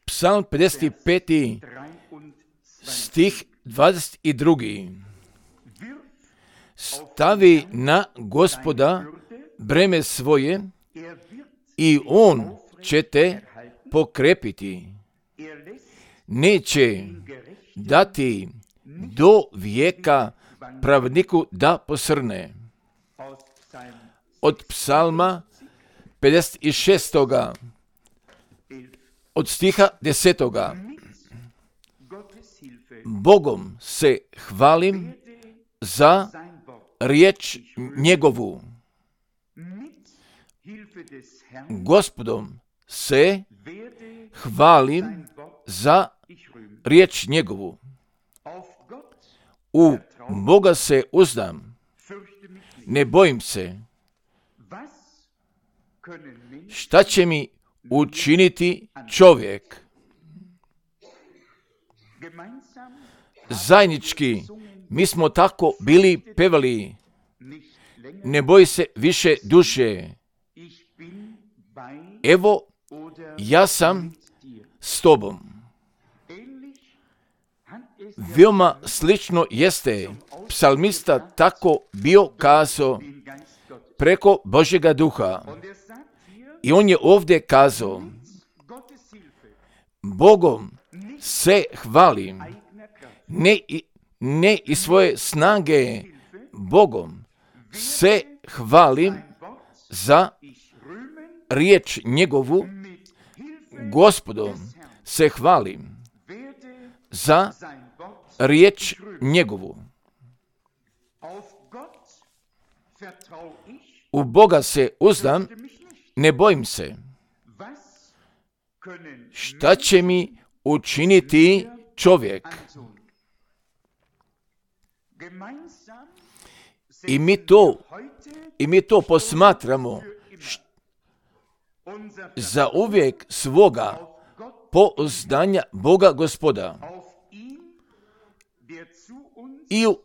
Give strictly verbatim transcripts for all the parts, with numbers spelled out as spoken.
Psalm pedeset peti stih dvadeset drugi. Stavi na Gospoda breme svoje i on će te pokrepiti. Neće dati do vijeka pravedniku da posrne. Od psalma pedeset šest. od stiha desetoga. Bogom se hvalim za riječ njegovu. Gospodom se hvalim za riječ njegovu. U Boga se uzdam, ne bojim se. Šta će mi učiniti čovjek? Zajednički mi smo tako bili pevali, ne boj se više duše. Evo, ja sam s tobom. Veoma slično jeste psalmista tako bio kazao preko Božjega duha. I on je ovdje kazao, Bogom se hvalim, ne, ne iz svoje snage, Bogom se hvalim za riječ njegovu, Gospodom se hvalim za riječ njegovu. U Boga se uzdam, ne bojim se. Šta će mi učiniti čovjek? I mi to, i mi to posmatramo za uvijek svoga pouzdanja Boga Gospoda. I u,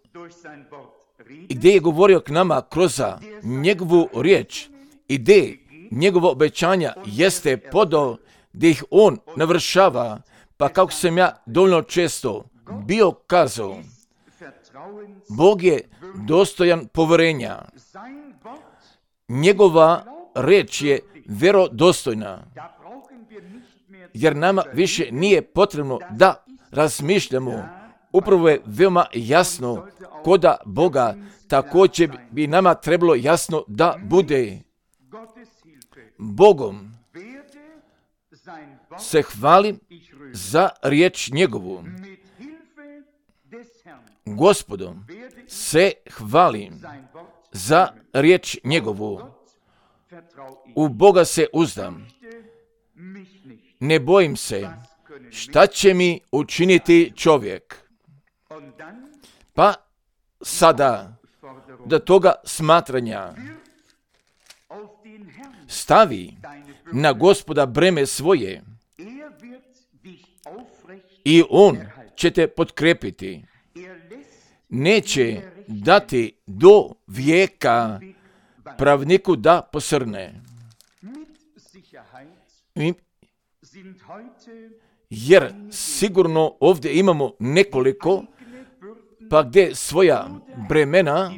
gdje je govorio k nama kroz njegovu riječ, i gdje njegovo obećanja jeste podao, gdje ih on navršava, pa kako sam ja dovoljno često bio kazao, Bog je dostojan povjerenja. Njegova riječ je vjerodostojna, jer nama više nije potrebno da razmišljamo. Upravo je veoma jasno koda Boga, također bi nama trebalo jasno da bude. Bogom se hvalim za riječ njegovu. Gospodom se hvalim za riječ njegovu. U Boga se uzdam, ne bojim se. Šta će mi učiniti čovjek? Pa sada do toga smatranja stavi na Gospoda breme svoje i on će te potkrepiti. Neće dati do vijeka pravniku da posrne. Jer sigurno ovdje imamo nekoliko, pa gdje svoja bremena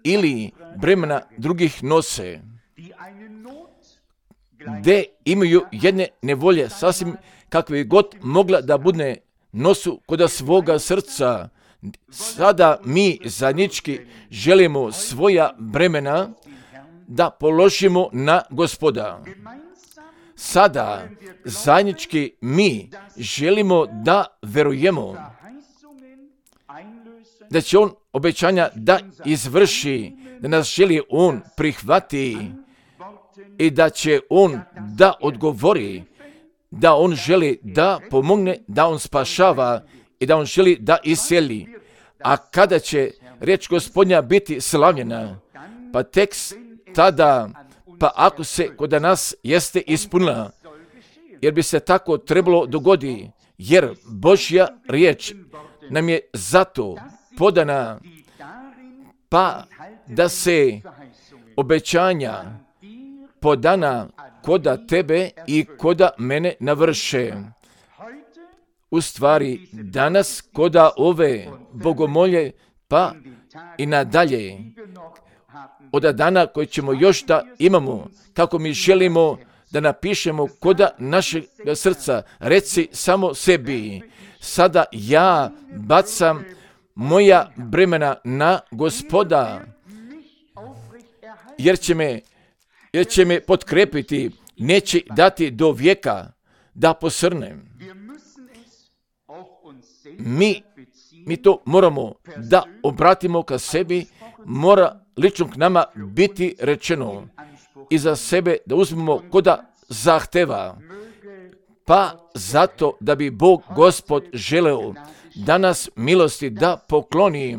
ili bremena drugih nose, gdje imaju jedne nevolje, sasvim kakve god mogla da bude nosu kod svoga srca. Sada mi zajednički želimo svoja bremena da položimo na Gospoda. Sada zajednički mi želimo da verujemo da će on obećanja da izvrši, da nas želi on prihvati i da će on da odgovori, da on želi da pomogne, da on spašava i da on želi da iseli. A kada će riječ Gospodnja biti slavljena, pa tek tada, pa ako se kod nas jeste ispunila, jer bi se tako trebalo dogoditi, jer Božja riječ nam je zato podana, pa da se obećanja podana koda tebe i koda mene navrše. U stvari, danas koda ove bogomolje, pa i nadalje, od dana koji ćemo još da imamo, kako mi želimo da napišemo koda našeg srca, reci samo sebi, sada ja bacam moja bremena na Gospoda, jer će me, jer će me potkrepiti, neće dati do vijeka da posrnem. Mi, mi to moramo da obratimo ka sebi, mora lično k nama biti rečeno i za sebe da uzmemo koda zahteva. Pa zato da bi Bog Gospod želeo da nas milosti da pokloni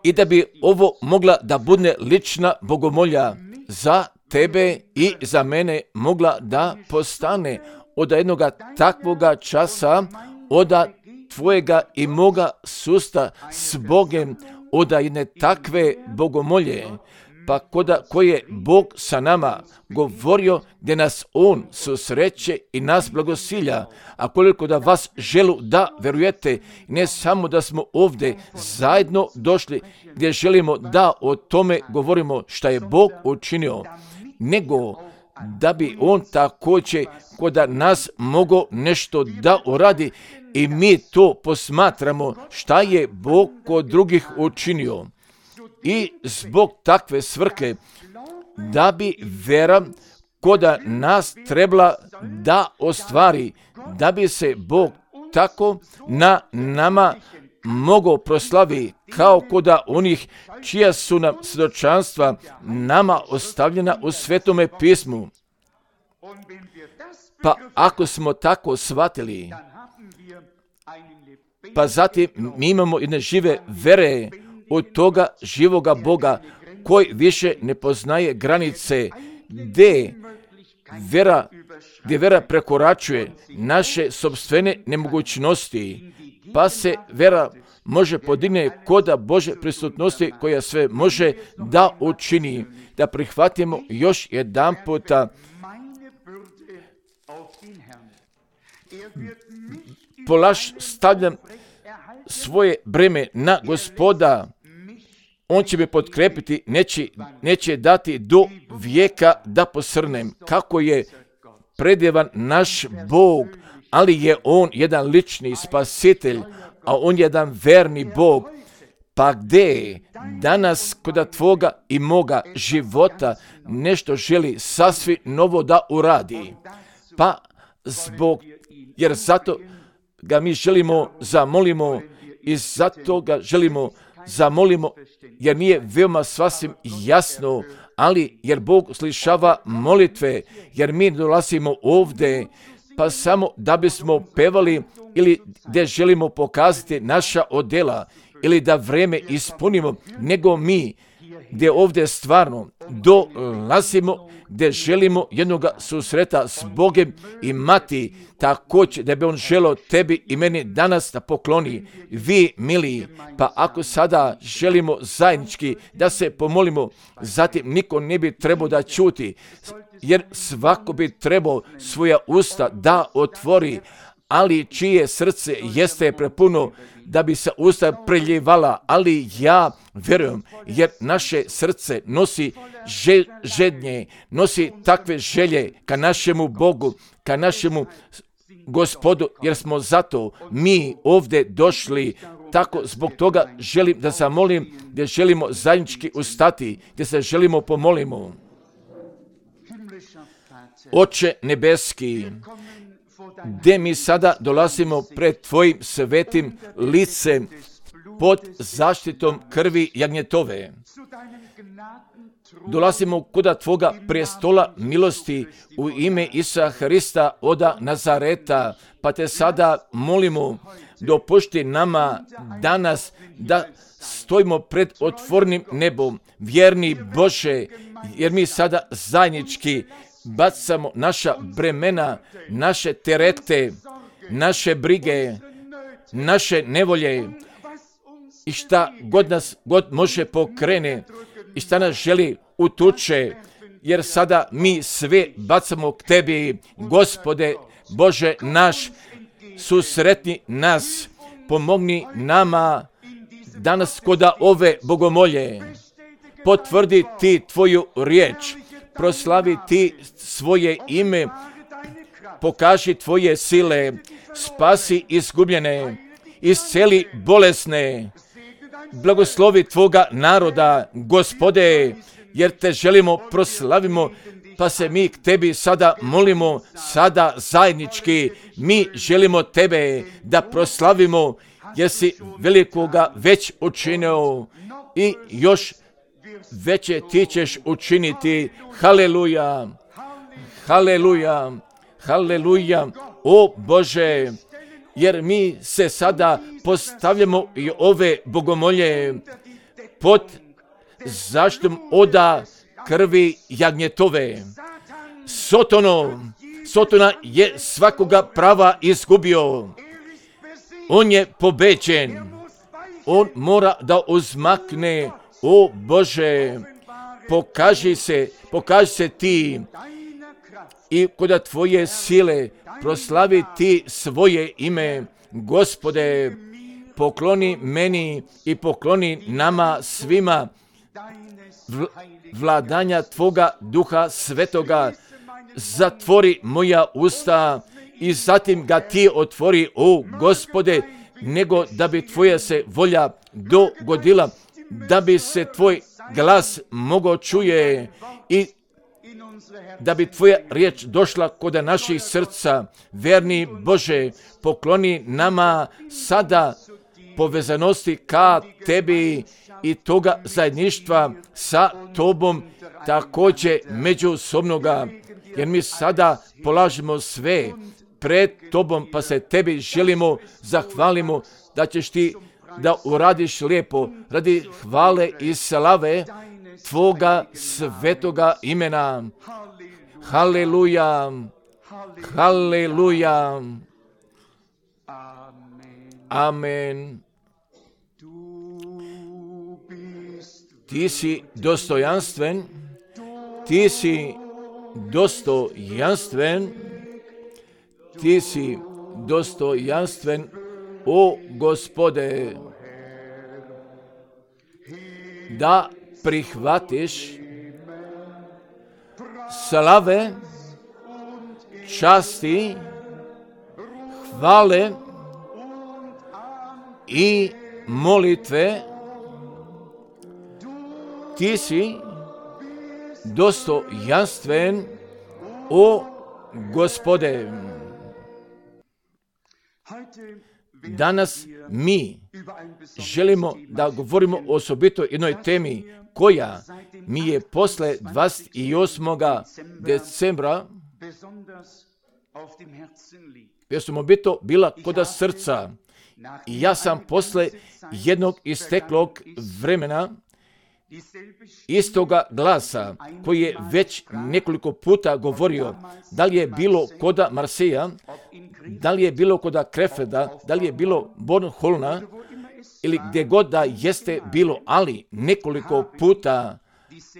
i da bi ovo mogla da bude lična bogomolja za tebe i za mene mogla da postane od jednoga takvoga časa, od tvojega i moga susta s Bogem, od jedne takve bogomolje, pa koda koje Bog sa nama govorio, gdje nas On susreće i nas blagosilja, a koliko da vas želu da verujete, ne samo da smo ovdje zajedno došli, gdje želimo da o tome govorimo šta je Bog učinio, nego da bi On također koda nas mogo nešto da uradi i mi to posmatramo šta je Bog kod drugih učinio. I zbog takve svrhe da bi vera koda nas trebala da ostvari, da bi se Bog tako na nama mogo proslavi kao koda onih čija su nam svjedočanstva nama ostavljena u Svetome pismu. Pa ako smo tako shvatili, pa zatim mi imamo jedne žive vere od toga živoga Boga koji više ne poznaje granice, gdje vera, gdje vera prekoračuje naše sopstvene nemogućnosti, pa se vera može podigne koda Bože prisutnosti koja sve može da učini, da prihvatimo još jedan puta polaž stavljam svoje breme na Gospoda, On će me potkrepiti, neće, neće dati do vijeka da posrnem. Kako je predjevan naš Bog, ali je On jedan lični spasitelj, a On je jedan verni Bog. Pa gdje danas koda tvoga i moga života nešto želi sasvim novo da uradi? Pa zbog, jer zato ga mi želimo, zamolimo i zato ga želimo, zamolimo, jer nije veoma sasvim jasno, ali jer Bog slišava molitve, jer mi dolazimo ovdje, pa samo da bismo pevali ili gdje želimo pokazati naša odjela, ili da vreme ispunimo, nego mi gdje ovdje stvarno dolazimo, gdje želimo jednoga susreta s Bogem imati, također da bi On želio tebi i meni danas da pokloni. Vi, mili, pa ako sada želimo zajednički da se pomolimo, zatim niko ne bi trebao da čuti, jer svako bi trebao svoja usta da otvori, ali čije srce jeste prepuno da bi se usta preljevala, ali ja vjerujem, jer naše srce nosi žel, žednje, nosi takve želje ka našemu Bogu, ka našemu Gospodu, jer smo zato mi ovdje došli. Tako zbog toga želim da zamolim, gdje želimo zajednički ustati, gdje se želimo pomolimo. Oče nebeski, gdje mi sada dolazimo pred Tvojim svetim licem pod zaštitom krvi jagnjetove. Dolazimo kuda Tvoga prestola milosti u ime Isusa Hrista oda Nazareta, pa Te sada molimo, dopušti nama danas da stojimo pred otvornim nebom, vjerni Bože, jer mi sada zajednički bacamo naša bremena, naše terete, naše brige, naše nevolje i šta god nas god može pokrene i šta nas želi utuče, jer sada mi sve bacamo k tebi, Gospode Bože naš, susretni nas, pomogni nama danas koda ove bogomolje, potvrdi ti tvoju riječ, proslavi ti svoje ime, pokaži tvoje sile, spasi izgubljene, isceli bolesne, blagoslovi tvoga naroda, Gospode, jer te želimo, proslavimo, pa se mi k tebi sada molimo, sada zajednički, mi želimo tebe da proslavimo, jer si velikoga već učinio i još veće ti ćeš učiniti. Haleluja, haleluja, haleluja, o Bože, jer mi se sada postavljamo i ove bogomolje pod zaštitom oda krvi jagnjetove. Sotono, Sotona je svakoga prava izgubio. On je pobeđen. On mora da uzmakne. O Bože, pokaži se, pokaži se ti i kod tvoje sile proslavi ti svoje ime. Gospode, pokloni meni i pokloni nama svima vl- vladanja tvoga duha svetoga. Zatvori moja usta i zatim ga ti otvori, o Gospode, nego da bi tvoja se volja dogodila, da bi se tvoj glas mogao čuje i da bi tvoja riječ došla kod naših srca. Verni Bože, pokloni nama sada povezanosti ka tebi i toga zajedništva sa tobom, također međusobnoga, jer mi sada polažemo sve pred tobom, pa se tebi želimo, zahvalimo da ćeš ti da uradiš lijepo radi hvale i slave tvoga svetoga imena. Haleluja, haleluja, amen. Ti si dostojanstven, ti si dostojanstven, ti si dostojanstven, o Gospode, da prihvatiš slave, časti, hvale i molitve. Ti si dostojanstven, o Gospode. Danas mi želimo da govorimo o osobito jednoj temi koja mi je posle dvadeset osmog decembra osobito bila kod srca. I ja sam posle jednog isteklog vremena istoga glasa koji je već nekoliko puta govorio, da li je bilo koda Marseja, da li je bilo koda Krefeda, da li je bilo Bornholna ili gdje god da jeste bilo, ali nekoliko puta,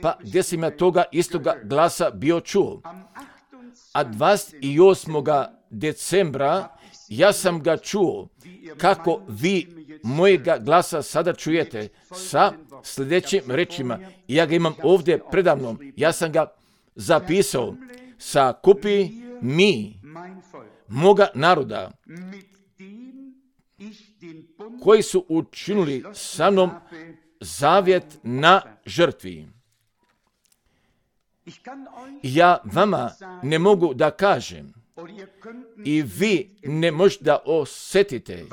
pa gdje sam ja toga istoga glasa bio čuo. A dvadeset osmog decembra ja sam ga čuo kako vi mojega glasa sada čujete sa sljedećim rečima. Ja ga imam ovdje predavnom. Ja sam ga zapisao. Sakupi mi moga naroda koji su učinili sa mnom zavjet na žrtvi. Ja vama ne mogu da kažem i vi ne možete da osjetite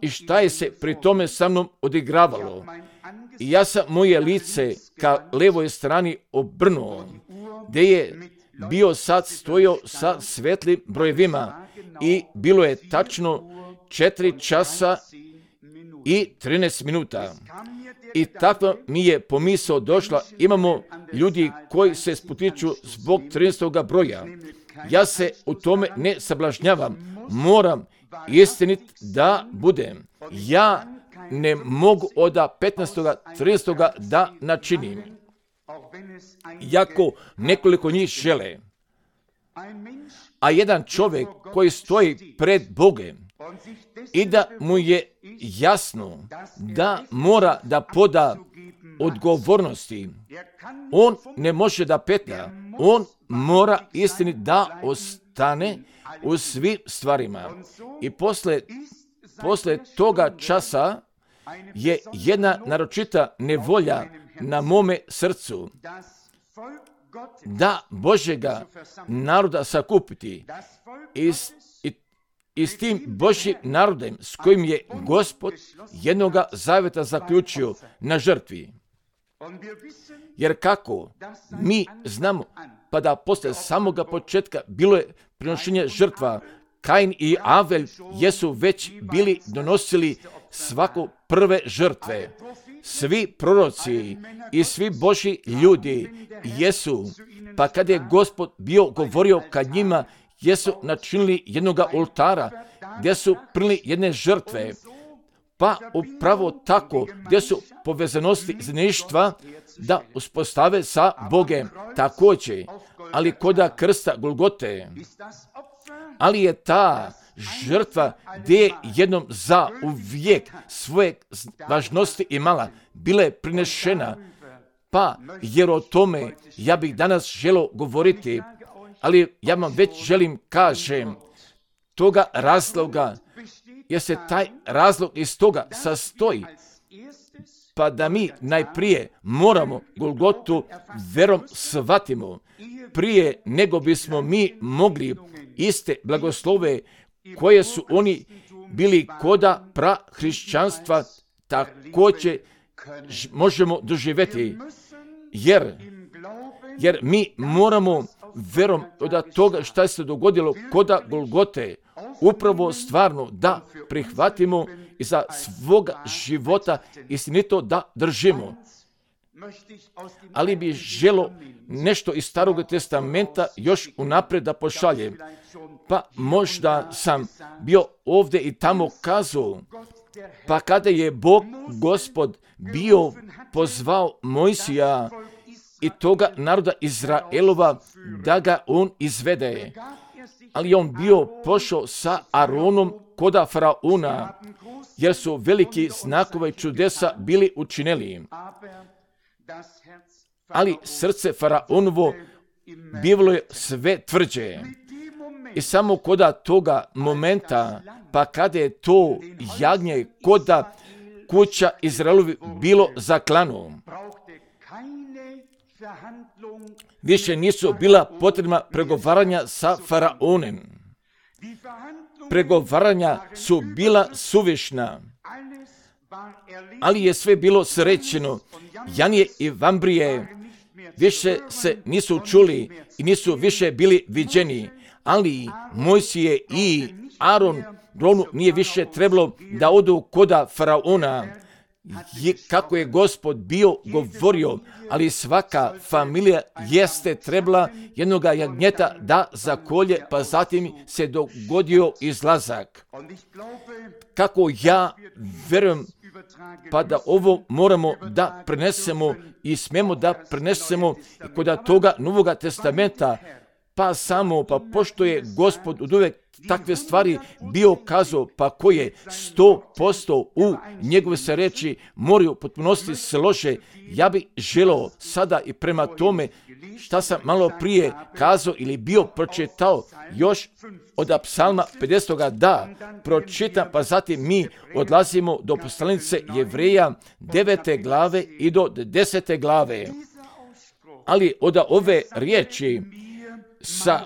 i šta je se pri tome sa mnom odigravalo. I ja sam moje lice ka levoj strani obrnuo, gdje je bio sad stojio sa svetlim brojevima i bilo je tačno četiri časa i trinaest minuta. I tako mi je pomisao došla, imamo ljudi koji se spotiču zbog trinaestog broja. Ja se u tome ne sablažnjavam, moram istinit da budem. Ja ne mogu od petnaestog trinaestog da načinim. Jako nekoliko njih žele. A jedan čovjek koji stoji pred Bogom i da mu je jasno da mora da poda odgovornosti, on ne može da petlja, on mora istini da ostane u svim stvarima. I posle, posle toga časa je jedna naročita nevolja na mome srcu da Božjega naroda sakupiti i s, i, i s tim Božjim narodem s kojim je Gospod jednoga zaveta zaključio na žrtvi. Jer kako mi znamo, pa da posle samoga početka bilo je prinošenje žrtva, Kain i Avel jesu već bili donosili svako prve žrtve. Svi proroci i svi Božji ljudi jesu, pa kad je Gospod bio govorio kad njima, jesu načinili jednoga oltara, gdje su prinili jedne žrtve, pa upravo tako, gdje su povezanosti zajedništva da uspostave sa Bogem također, ali koda krsta Golgote, ali je ta žrtva gdje je jednom za uvijek svoje važnosti imala, bila je prinešena, pa jer o tome ja bih danas želio govoriti, ali ja vam već želim kažem toga razloga, jer se taj razlog iz toga sastoji, pa da mi najprije moramo Golgotu verom shvatimo, prije nego bismo mi mogli iste blagoslove koje su oni bili koda prahrišćanstva također možemo doživjeti, jer, jer mi moramo verom od toga što se dogodilo koda Golgote upravo stvarno da prihvatimo i za svoga života istinito da držimo. Ali bi želo nešto iz Starog testamenta još unaprijed da pošaljem. Pa možda sam bio ovdje i tamo kazao, pa kada je Bog Gospod bio pozvao Mojsija i toga naroda Izraelova da ga on izvede, ali on bio pošao sa Aronom koda Faraona, jer su veliki znakove čudesa bili učinili. Ali srce Faraonovo bilo je sve tvrđe. I samo koda toga momenta, pa kada je to jagnje koda kuća Izraelovi bilo zaklano, više nisu bila potrebna pregovaranja sa Faraonem. Pregovaranja su bila suvišna, ali je sve bilo srećeno. Janije i Vambrije više se nisu čuli i nisu više bili viđeni, ali Mojsije i Aron Ronu nije više trebalo da odu koda Faraona, je, kako je Gospod bio govorio, ali svaka familija jeste trebala jednoga jagnjeta da zakolje, pa zatim se dogodio izlazak. Kako ja verujem, pa da ovo moramo da prenesemo i smemo da prenesemo kod toga Novoga testamenta, pa samo, pa pošto je Gospod od uvek takve stvari bio kazao, pa koje sto posto u njegove se reči moraju potpunosti slože, ja bih želeo sada i prema tome šta sam malo prije kazao ili bio pročitao još od psalma pedesetoga da pročitam, pa zatim mi odlazimo do poslanice Jevreja devete glave i do desete glave. Ali od ove riječi sa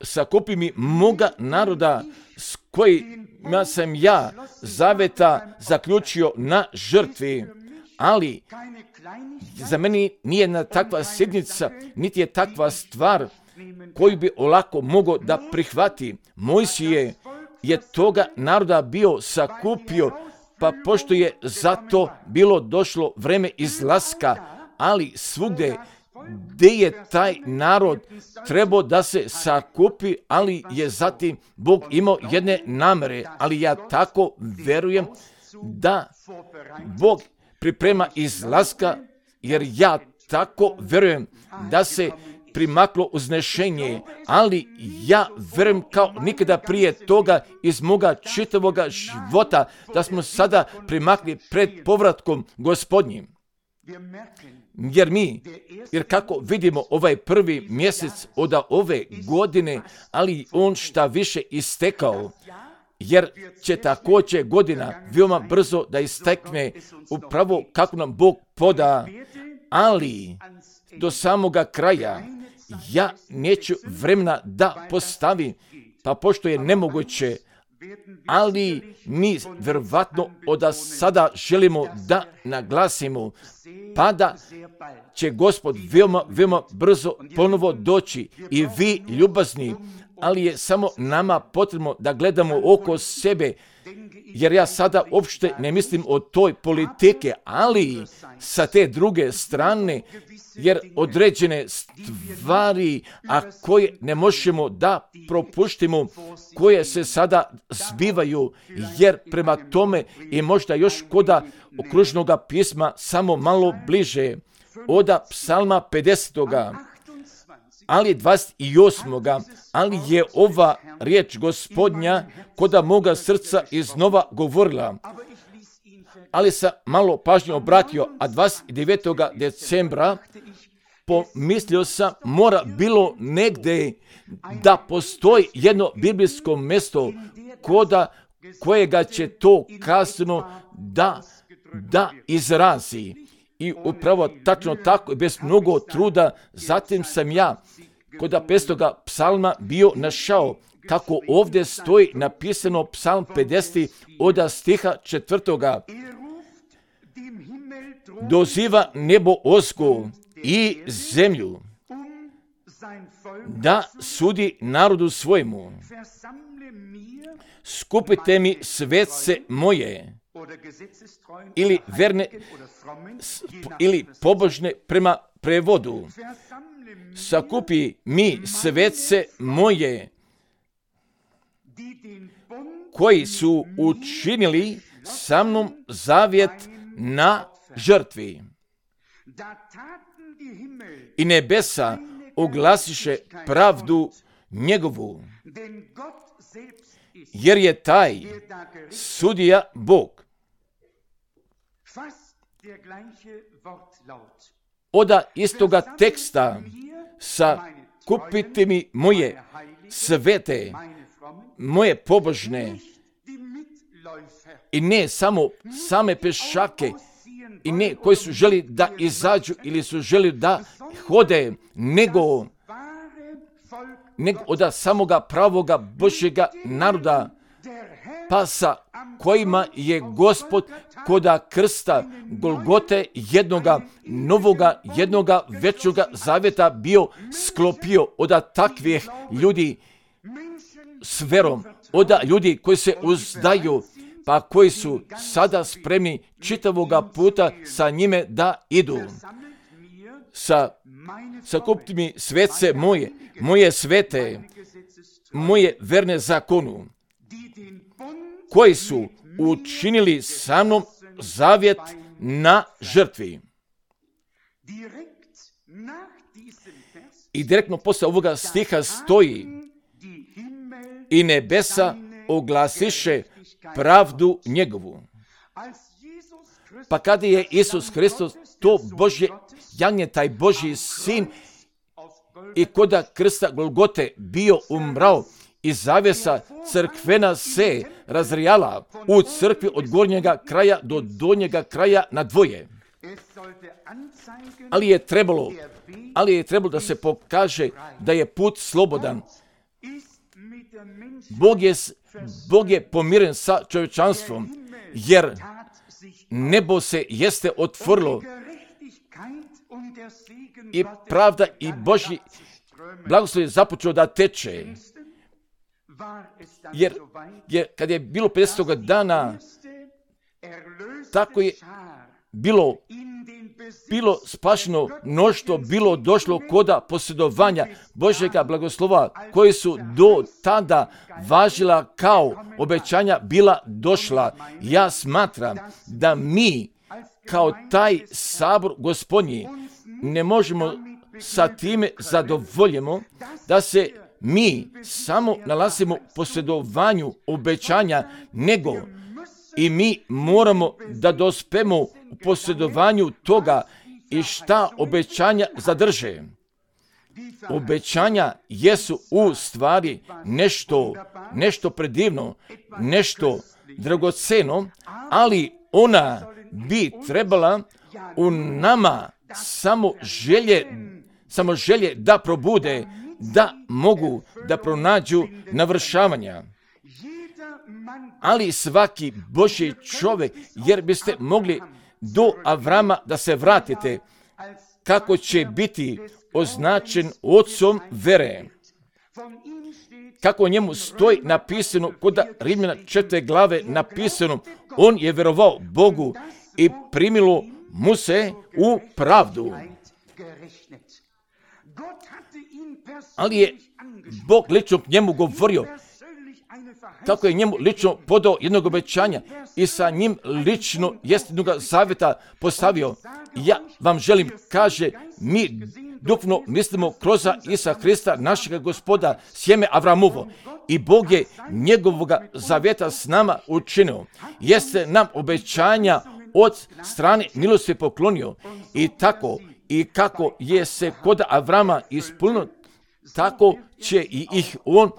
sakupi mi moga naroda s kojima sam ja zaveta zaključio na žrtvi, ali za meni nije jedna takva sjednica, niti je takva stvar koju bi olako mogao da prihvati. Mojsije je toga naroda bio sakupio, pa pošto je zato bilo došlo vreme izlaska, ali svugde gdje je taj narod trebao da se sakupi, ali je zatim Bog imao jedne namere, ali ja tako verujem da Bog priprema izlaska, jer ja tako verujem da se primaklo uznešenje, ali ja verujem kao nikada prije toga iz moga čitavoga života da smo sada primakli pred povratkom Gospodnjim. Jer mi, jer kako vidimo ovaj prvi mjesec od ove godine, ali on šta više istekao, jer će također godina veoma brzo da istekne upravo kako nam Bog poda, ali do samoga kraja ja neću vremena da postavim, pa pošto je nemoguće, ali mi vjerovatno od sada želimo da naglasimo, pa da će Gospod veoma, veoma brzo ponovo doći i vi ljubazni, ali je samo nama potrebno da gledamo oko sebe, jer ja sada uopšte ne mislim o toj politike, ali sa te druge strane, jer određene stvari, a koje ne možemo da propuštimo, koje se sada zbivaju, jer prema tome i možda još koda okružnog pisma samo malo bliže, oda psalma pedesetoga, ali dvadeset osmoga, ali je ova riječ Gospodnja koda moga srca iznova govorila. Ali sam malo pažnje obratio, a dvadeset devetog decembra pomislio sam, mora bilo negdje da postoji jedno biblijsko mjesto koda kojega će to kasno da, da izrazi. I upravo tačno tako, bez mnogo truda, zatim sam ja kod pestoga psalma bio našao kako ovdje stoji napisano psalm pedeset od stiha četvrtoga. Doziva nebo osko i zemlju da sudi narodu svojemu. Skupite mi svece moje, ili verne, ili pobožne prema prevodu. Sakupi mi svece moje, koji su učinili sa mnom zavjet na žrtvi. I nebesa oglasiše pravdu njegovu, jer je taj sudija Bog. Oda istoga teksta sakupite mi moje svete, moje pobožne, i ne samo same pešake, i ne koji su želi da izađu ili su želi da hode, nego, nego od samoga pravoga Božjega naroda, pa sa kojima je Gospod koda krsta Golgote jednoga novoga, jednoga većoga zavjeta bio sklopio od takvih ljudi s verom, od ljudi koji se uzdaju, pa koji su sada spremni čitavoga puta sa njime da idu. Sa, sakupiti mi svece moje, moje svete, moje verne zakonu, koji su učinili sa mnom zavjet na žrtvi. I direktno posle ovoga stiha stoji: i nebesa oglasiše pravdu njegovu. Pa kada je Isus Hristos, to Božje jagnje, taj Božji sin, i koda krsta Golgote bio umrao, i zavjesa crkvena se razrijala u crkvi od gornjega kraja do donjega kraja na dvoje. Ali je trebalo, ali je trebalo da se pokaže da je put slobodan. Bog je, Bog je pomiren sa čovječanstvom, jer nebo se jeste otvorilo i pravda i Božji blagoslov je započeo da teče. Jer, jer kad je bilo pedesetog dana, tako je bilo, bilo spašeno mnoštvo, bilo došlo koda posjedovanja Božjega blagoslova, koji su do tada važila kao obećanja bila došla. Ja smatram da mi kao taj sabor Gospodnji ne možemo sa time zadovoljimo da se mi samo nalazimo u posjedovanju obećanja, nego i mi moramo da dospemo u posjedovanju toga i šta obećanja zadrže. Obećanja jesu u stvari nešto, nešto predivno, nešto dragoceno, ali ona bi trebala u nama samo želje, samo želje da probude, da mogu da pronađu navršavanja. Ali svaki Božji čovjek, jer biste mogli do Avrama da se vratite, kako će biti označen ocom vere. Kako o njemu stoji napisano, kod Rimljana četvrte glave napisano, on je vjerovao Bogu i primilo mu se u pravdu. Ali je Bog lično k njemu govorio, tako je njemu lično podao jednog obećanja i sa njim lično jest jednog zavjeta postavio. Ja vam želim, kaže, mi duhovno mislimo kroz Isa Hrista, našega Gospoda, sjeme Avramovo. I Bog je njegovoga zavjeta s nama učinio. Jeste nam obećanja od strane milosti poklonio. I tako, i kako je se kod Avrama ispunilo, tako će i ih on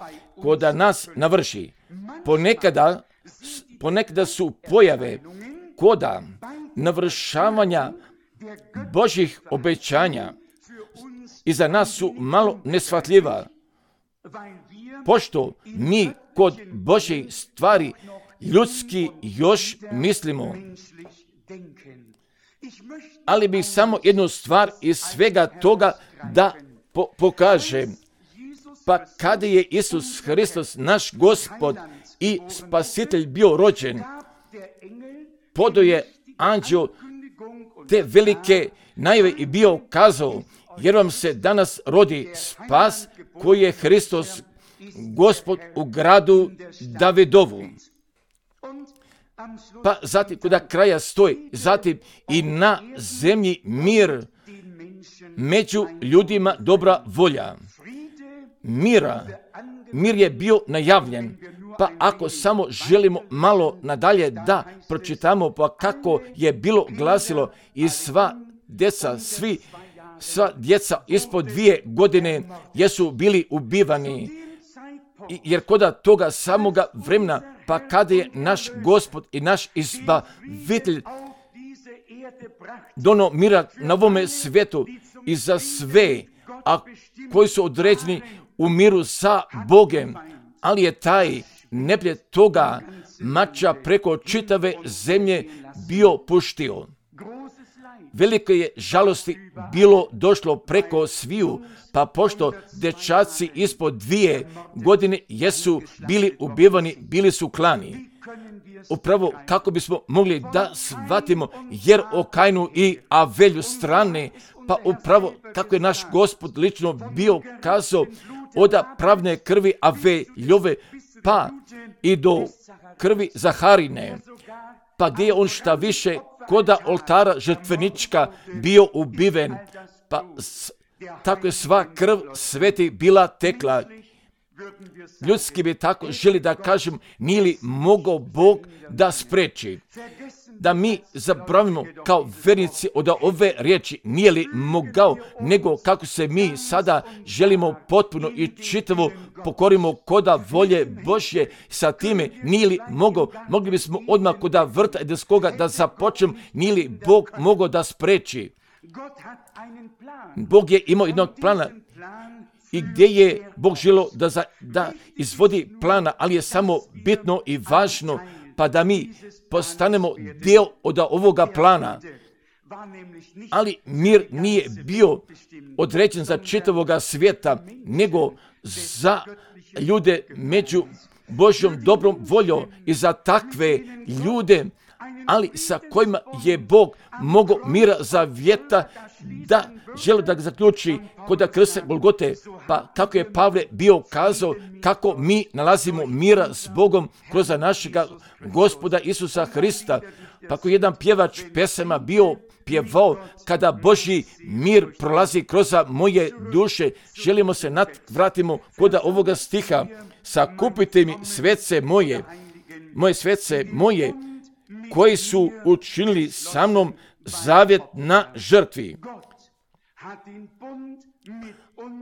kod nas navrši. Ponekada, ponekada su pojave koda navršavanja Božjih obećanja i za nas su malo neshvatljiva, pošto mi kod Božjih stvari ljudski još mislimo. Ali bih samo jednu stvar iz svega toga da po- pokažem. Pa kada je Isus Hristos, naš Gospod i Spasitelj, bio rođen, podao je anđeo te velike najave i bio kazao, jer vam se danas rodi spas koji je Hristos Gospod u gradu Davidovu. Pa zatim kuda kraja stoji, zatim i na zemlji mir, među ljudima dobra volja. Mira, mir je bio najavljen, pa ako samo želimo malo nadalje da pročitamo, pa kako je bilo glasilo i sva djeca, svi, sva djeca ispod dvije godine jesu bili ubivani, I, jer koda toga samoga vremena, pa kada je naš Gospod i naš Izbavitelj dono mira na ovome svijetu i za sve, a koji su određeni u miru sa Bogem, ali je taj neprijatelj toga mača preko čitave zemlje bio puštio. Veliko je žalosti bilo došlo preko sviju, pa pošto dečaci ispod dvije godine jesu bili ubivani, bili su klani. Upravo kako bismo mogli da shvatimo, jer o Kainu i Avelju strane, pa upravo kako je naš Gospod lično bio kazao od pravne krvi Aveljove, pa i do krvi Zaharine, pa gdje je on šta više koda oltara žrtvenička bio ubiven, pa s, tako je sva krv sveti bila tekla. Ljudski bi tako želi da kažem, nije li mogao Bog da spreči, da mi zaboravimo kao vernici od ove riječi, nije li mogao, nego kako se mi sada želimo potpuno i čitavo pokorimo koda volje Božje, sa time nije li mogao, mogli bismo odmah koda vrta edenskoga da započnem, nije li Bog mogao da spreči. Bog je imao jednog plana i gdje je Bog želio da, za, da izvodi plana, ali je samo bitno i važno, pa da mi postanemo dio od ovoga plana. Ali mir nije bio određen za čitavoga svijeta, nego za ljude među Božjom dobrom voljom i za takve ljude, ali sa kojima je Bog mogao mira zavjeta da želi da ga zaključi kod krsta Golgote, pa kako je Pavle bio kazao kako mi nalazimo mira s Bogom kroz našega Gospoda Isusa Hrista, Pa ako jedan pjevač pesama bio pjevao, kada Božji mir prolazi kroz moje duše, želimo se vratimo kod ovoga stiha, sakupite mi svece moje, moje svece moje, koji su učinili sa mnom zavjet na žrtvi.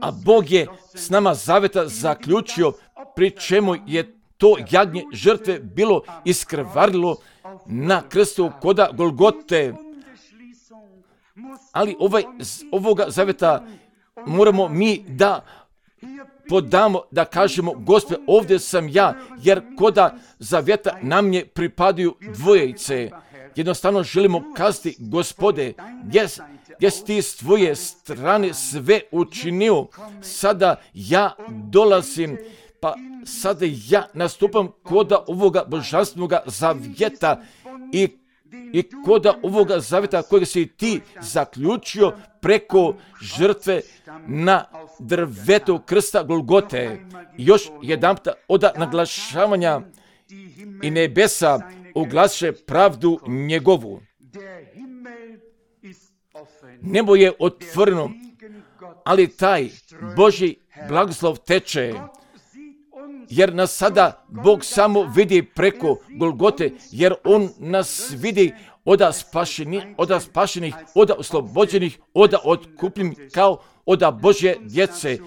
A Bog je s nama zavjeta zaključio, pri čemu je to jagnje žrtve bilo iskrvarilo na krstu koda Golgote. Ali ovaj, ovoga zavjeta moramo mi da podamo, da kažemo, Gospode, ovdje sam ja, jer koda zavjeta nam je pripadaju dvojice. Jednostavno želimo kazati, Gospode, jes, jes ti s tvoje strane sve učinio, sada ja dolazim, pa sada ja nastupam koda ovoga božanstvenog zavjeta i I koda ovoga zavjeta kojeg si ti zaključio preko žrtve na drvetu krsta Golgote. Još jedanputa od naglašavanja i nebesa oglaše pravdu njegovu. Nebo je otvoreno, ali taj Božji blagoslov teče. Jer nas sada Bog samo vidi preko Golgote, jer On nas vidi oda spašenih, oda spašenih, oda oslobođenih, oda otkupljenih kao oda Božje djece.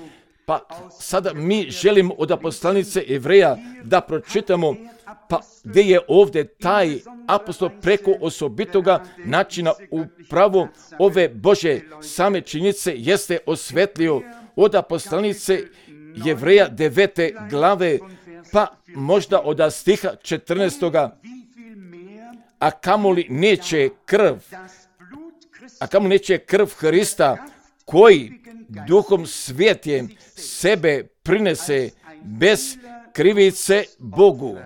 Pa sada mi želimo od poslanice Jevreja da pročitamo, pa gdje je ovdje taj apostol preko osobitoga načina upravo ove Božje same činjenice jeste osvetlio od poslanice Jevreja devete glave, pa možda od stiha četrnaestoga. A kamoli neće krv, a kamoli neće krv Hrista, koji duhom svjetjem sebe prinese bez krivice Bogu,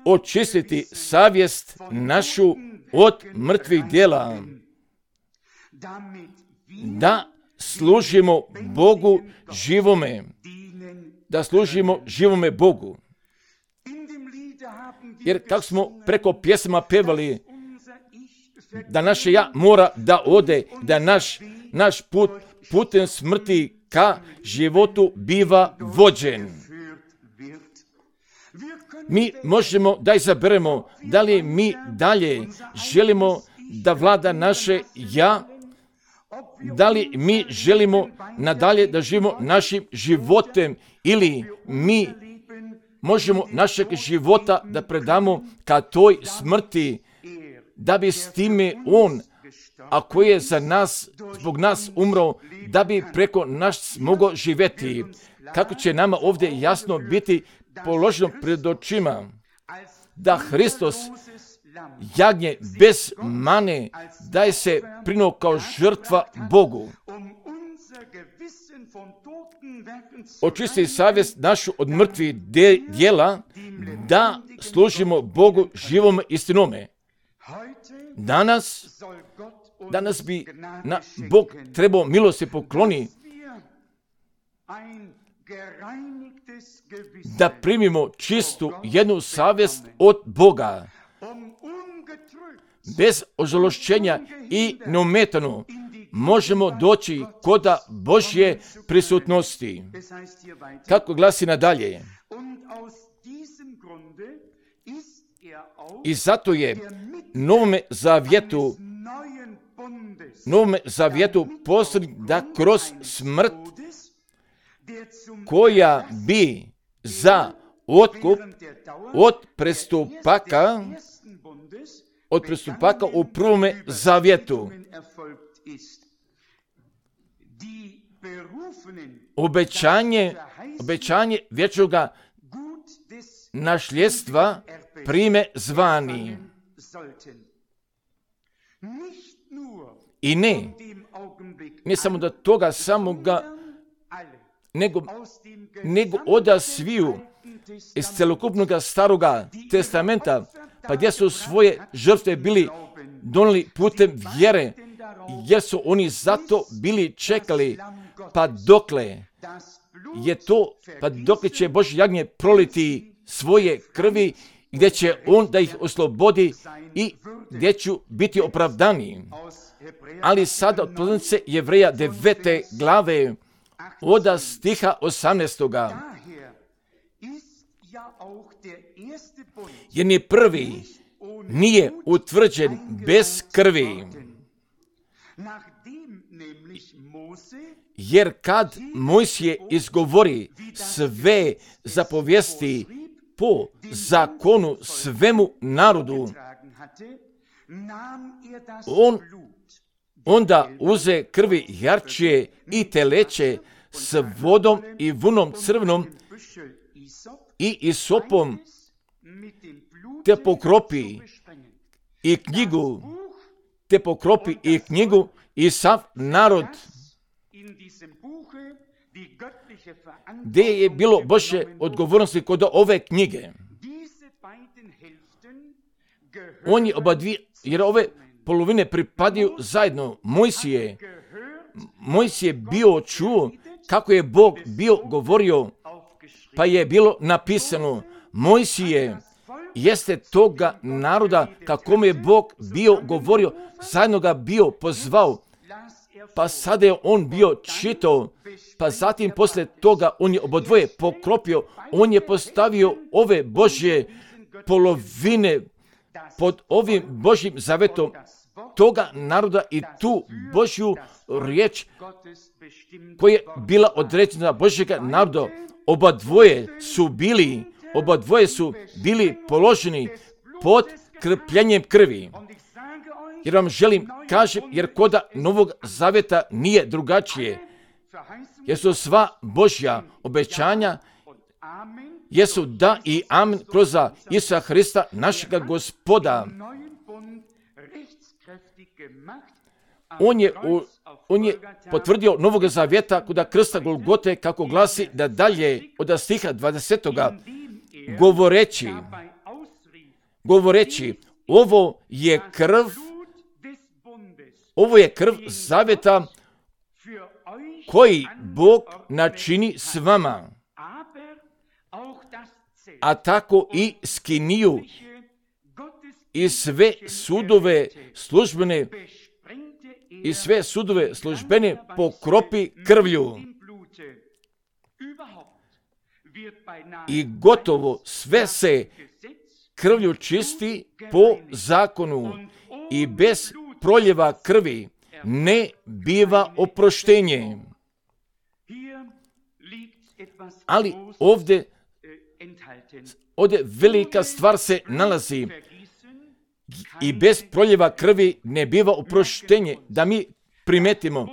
očistiti savjest našu od mrtvih djela, da služimo Bogu živome, da služimo živome Bogu. Jer kako smo preko pjesama pevali, da naše ja mora da ode, da naš, naš put putem smrti ka životu biva vođen. Mi možemo da izaberemo da li mi dalje želimo da vlada naše ja, da li mi želimo nadalje da živimo našim životem ili mi možemo našeg života da predamo ka toj smrti, da bi s time On, a koji je za nas, zbog nas umro, da bi preko nas mogao živjeti. Kako će nama ovdje jasno biti položeno pred očima da Hristos, jagnje bez mane, daje se prinuo kao žrtva Bogu. Očisti savjest našu od mrtvih djela, da služimo Bogu živom istinome. Danas, danas bi na Bog trebao milosti pokloni da primimo čistu jednu savjest od Boga, bez ožalošćenja i neometano možemo doći koda Božje prisutnosti. Kako glasi nadalje? I zato je novome zavjetu, novome zavjetu posrednik da kroz smrt, koja bi za otkup od prestupaka, od prestupaka u prvome zavjetu, obećanje, obećanje vječnoga našljedstva prime zvani. I ne, ne samo da toga samoga, nego, nego oda sviju iz celokupnog staroga testamenta, pa gdje su svoje žrtve bili donijeli putem vjere, jer su oni zato bili čekali, pa dokle je to, pa dokle će Božje jagnje proliti svoje krvi, gdje će on da ih oslobodi i gdje ću biti opravdaniji. Ali sada od poslanice Jevreja devete glave od stiha osamnaestoga. Jer ni prvi nije utvrđen bez krvi. Jer kad Mojsije izgovori sve zapovijesti po zakonu svemu narodu, on onda uze krvi jarčije i teleće s vodom i vunom crvenom i isopom, te pokropi i knjigu, te pokropi i knjigu i sav narod. Gdje je bilo Božje odgovornosti kod ove knjige? On je oba dvije, jer ove polovine pripadaju zajedno. Mojsije, Mojsije bio čuo kako je Bog bio govorio, pa je bilo napisano, Mojsije jeste toga naroda kako mu je Bog bio govorio, zajedno ga bio pozvao, pa sada je on bio čitao, pa zatim poslije toga on je obodvoje pokropio, on je postavio ove Božje polovine pod ovim Božjim zavetom toga naroda i tu Božju riječ koja je bila određena Božjega naroda. Oba dvoje su bili, oba dvoje su bili položeni pod krpljenjem krvi. Jer vam želim kažem, jer koda Novog Zaveta nije drugačije. Jer su sva Božja obećanja, jesu da i amen kroz Isusa Hrista, našega Gospoda. On je, on je potvrdio Novog Zavjeta kod krsta Golgote, kako glasi da dalje od stiha dvadesetoga govoreći, govoreći, ovo je krv, ovo je krv zavjeta koji Bog načini s vama, a tako i skiniju i sve sudove službene i sve sudove službene pokropi krvlju. I gotovo sve se krvlju čisti po zakonu i bez proljeva krvi ne biva oproštenje. Ali ovdje, ovdje velika stvar se nalazi i bez proljeva krvi ne biva oproštenje. Da mi primetimo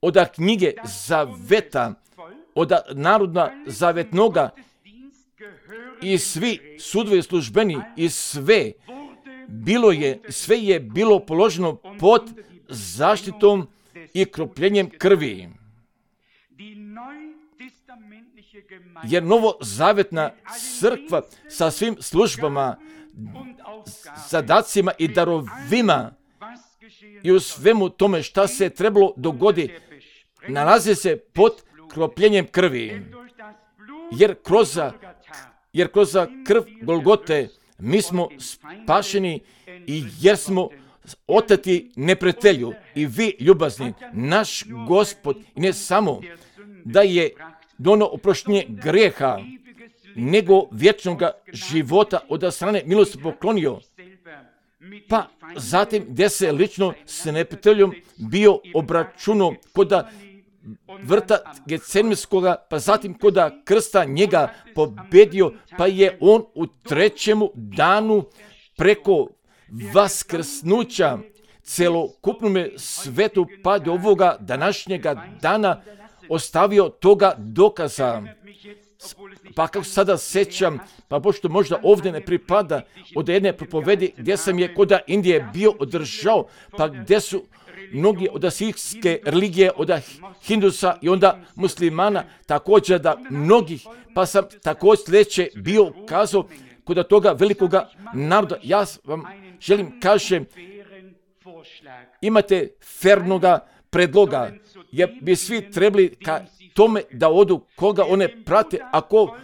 od knjige zaveta, od narodna zavetnoga i svi sudovi službeni i sve bilo je, sve je bilo položeno pod zaštitom i kropljenjem krvi. Jer novozavetna crkva sa svim službama, zadacima i darovima i u svemu tome šta se trebalo dogoditi, nalazi se pod kropljenjem krvi. Jer kroz, jer kroz krv Golgote mi smo spašeni i jer smo oteti neprijatelju. I vi, ljubazni, naš Gospod, i ne samo da je dono oproštenje grijeha, nego vječnog života od strane milosti poklonio, pa zatim gdje se lično s neprijateljom bio obračunao koda vrta Getsemanskoga, pa zatim koda krsta njega pobedio, pa je on u trećemu danu preko vaskrsnuća celokupnom svetu pa do ovoga današnjega dana ostavio toga dokaza. Pa kako sada sećam, pa pošto možda ovdje ne pripada, od jedne propovedi gdje sam je kod Indije bio održao, pa gdje su mnogi od sikske religije, od hindusa i onda muslimana, također da mnogih, pa sam također sljedeće bio kazao kod toga velikoga naroda. Ja vam želim kažem, imate fernoga predloga, jer bi svi trebali ka tome da odu koga one prate, ako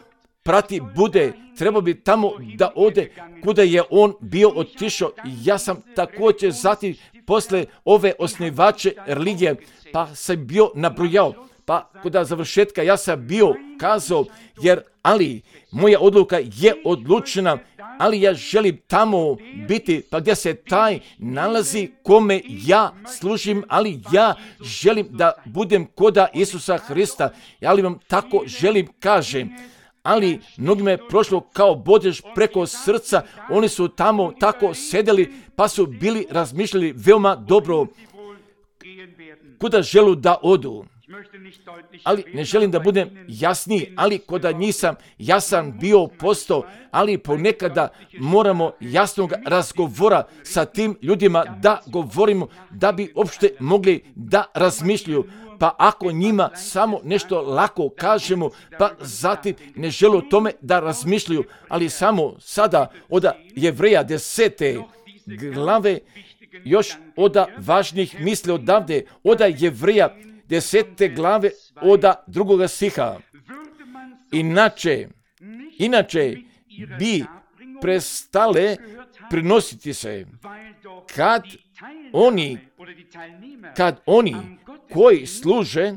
prati bude, trebao bi tamo da ode kuda je on bio otišao. Ja sam također zatim posle ove osnivače religije, pa sam bio nabrojao, pa kuda završetka ja sam bio kazao, jer ali moja odluka je odlučena, ali ja želim tamo biti, pa gdje se taj nalazi kome ja služim, ali ja želim da budem koda Isusa Hrista, ali vam tako želim kažem. Ali mnogima je prošlo kao bodež preko srca, oni su tamo tako sedeli, pa su bili razmišljali veoma dobro kuda želu da odu. Ali ne želim da budem jasniji, ali koda nisam jasan bio postao, ali ponekada moramo jasnog razgovora sa tim ljudima da govorimo, da bi uopšte mogli da razmišljaju. Pa ako njima samo nešto lako kažemo, pa zatim ne žele o tome da razmišljaju, ali samo sada od Jevreja desete glave još od važnih misli odavde, od Jevreja desete glave od drugoga stiha. Inače, inače bi prestale prinositi se kad oni, kad oni koji služe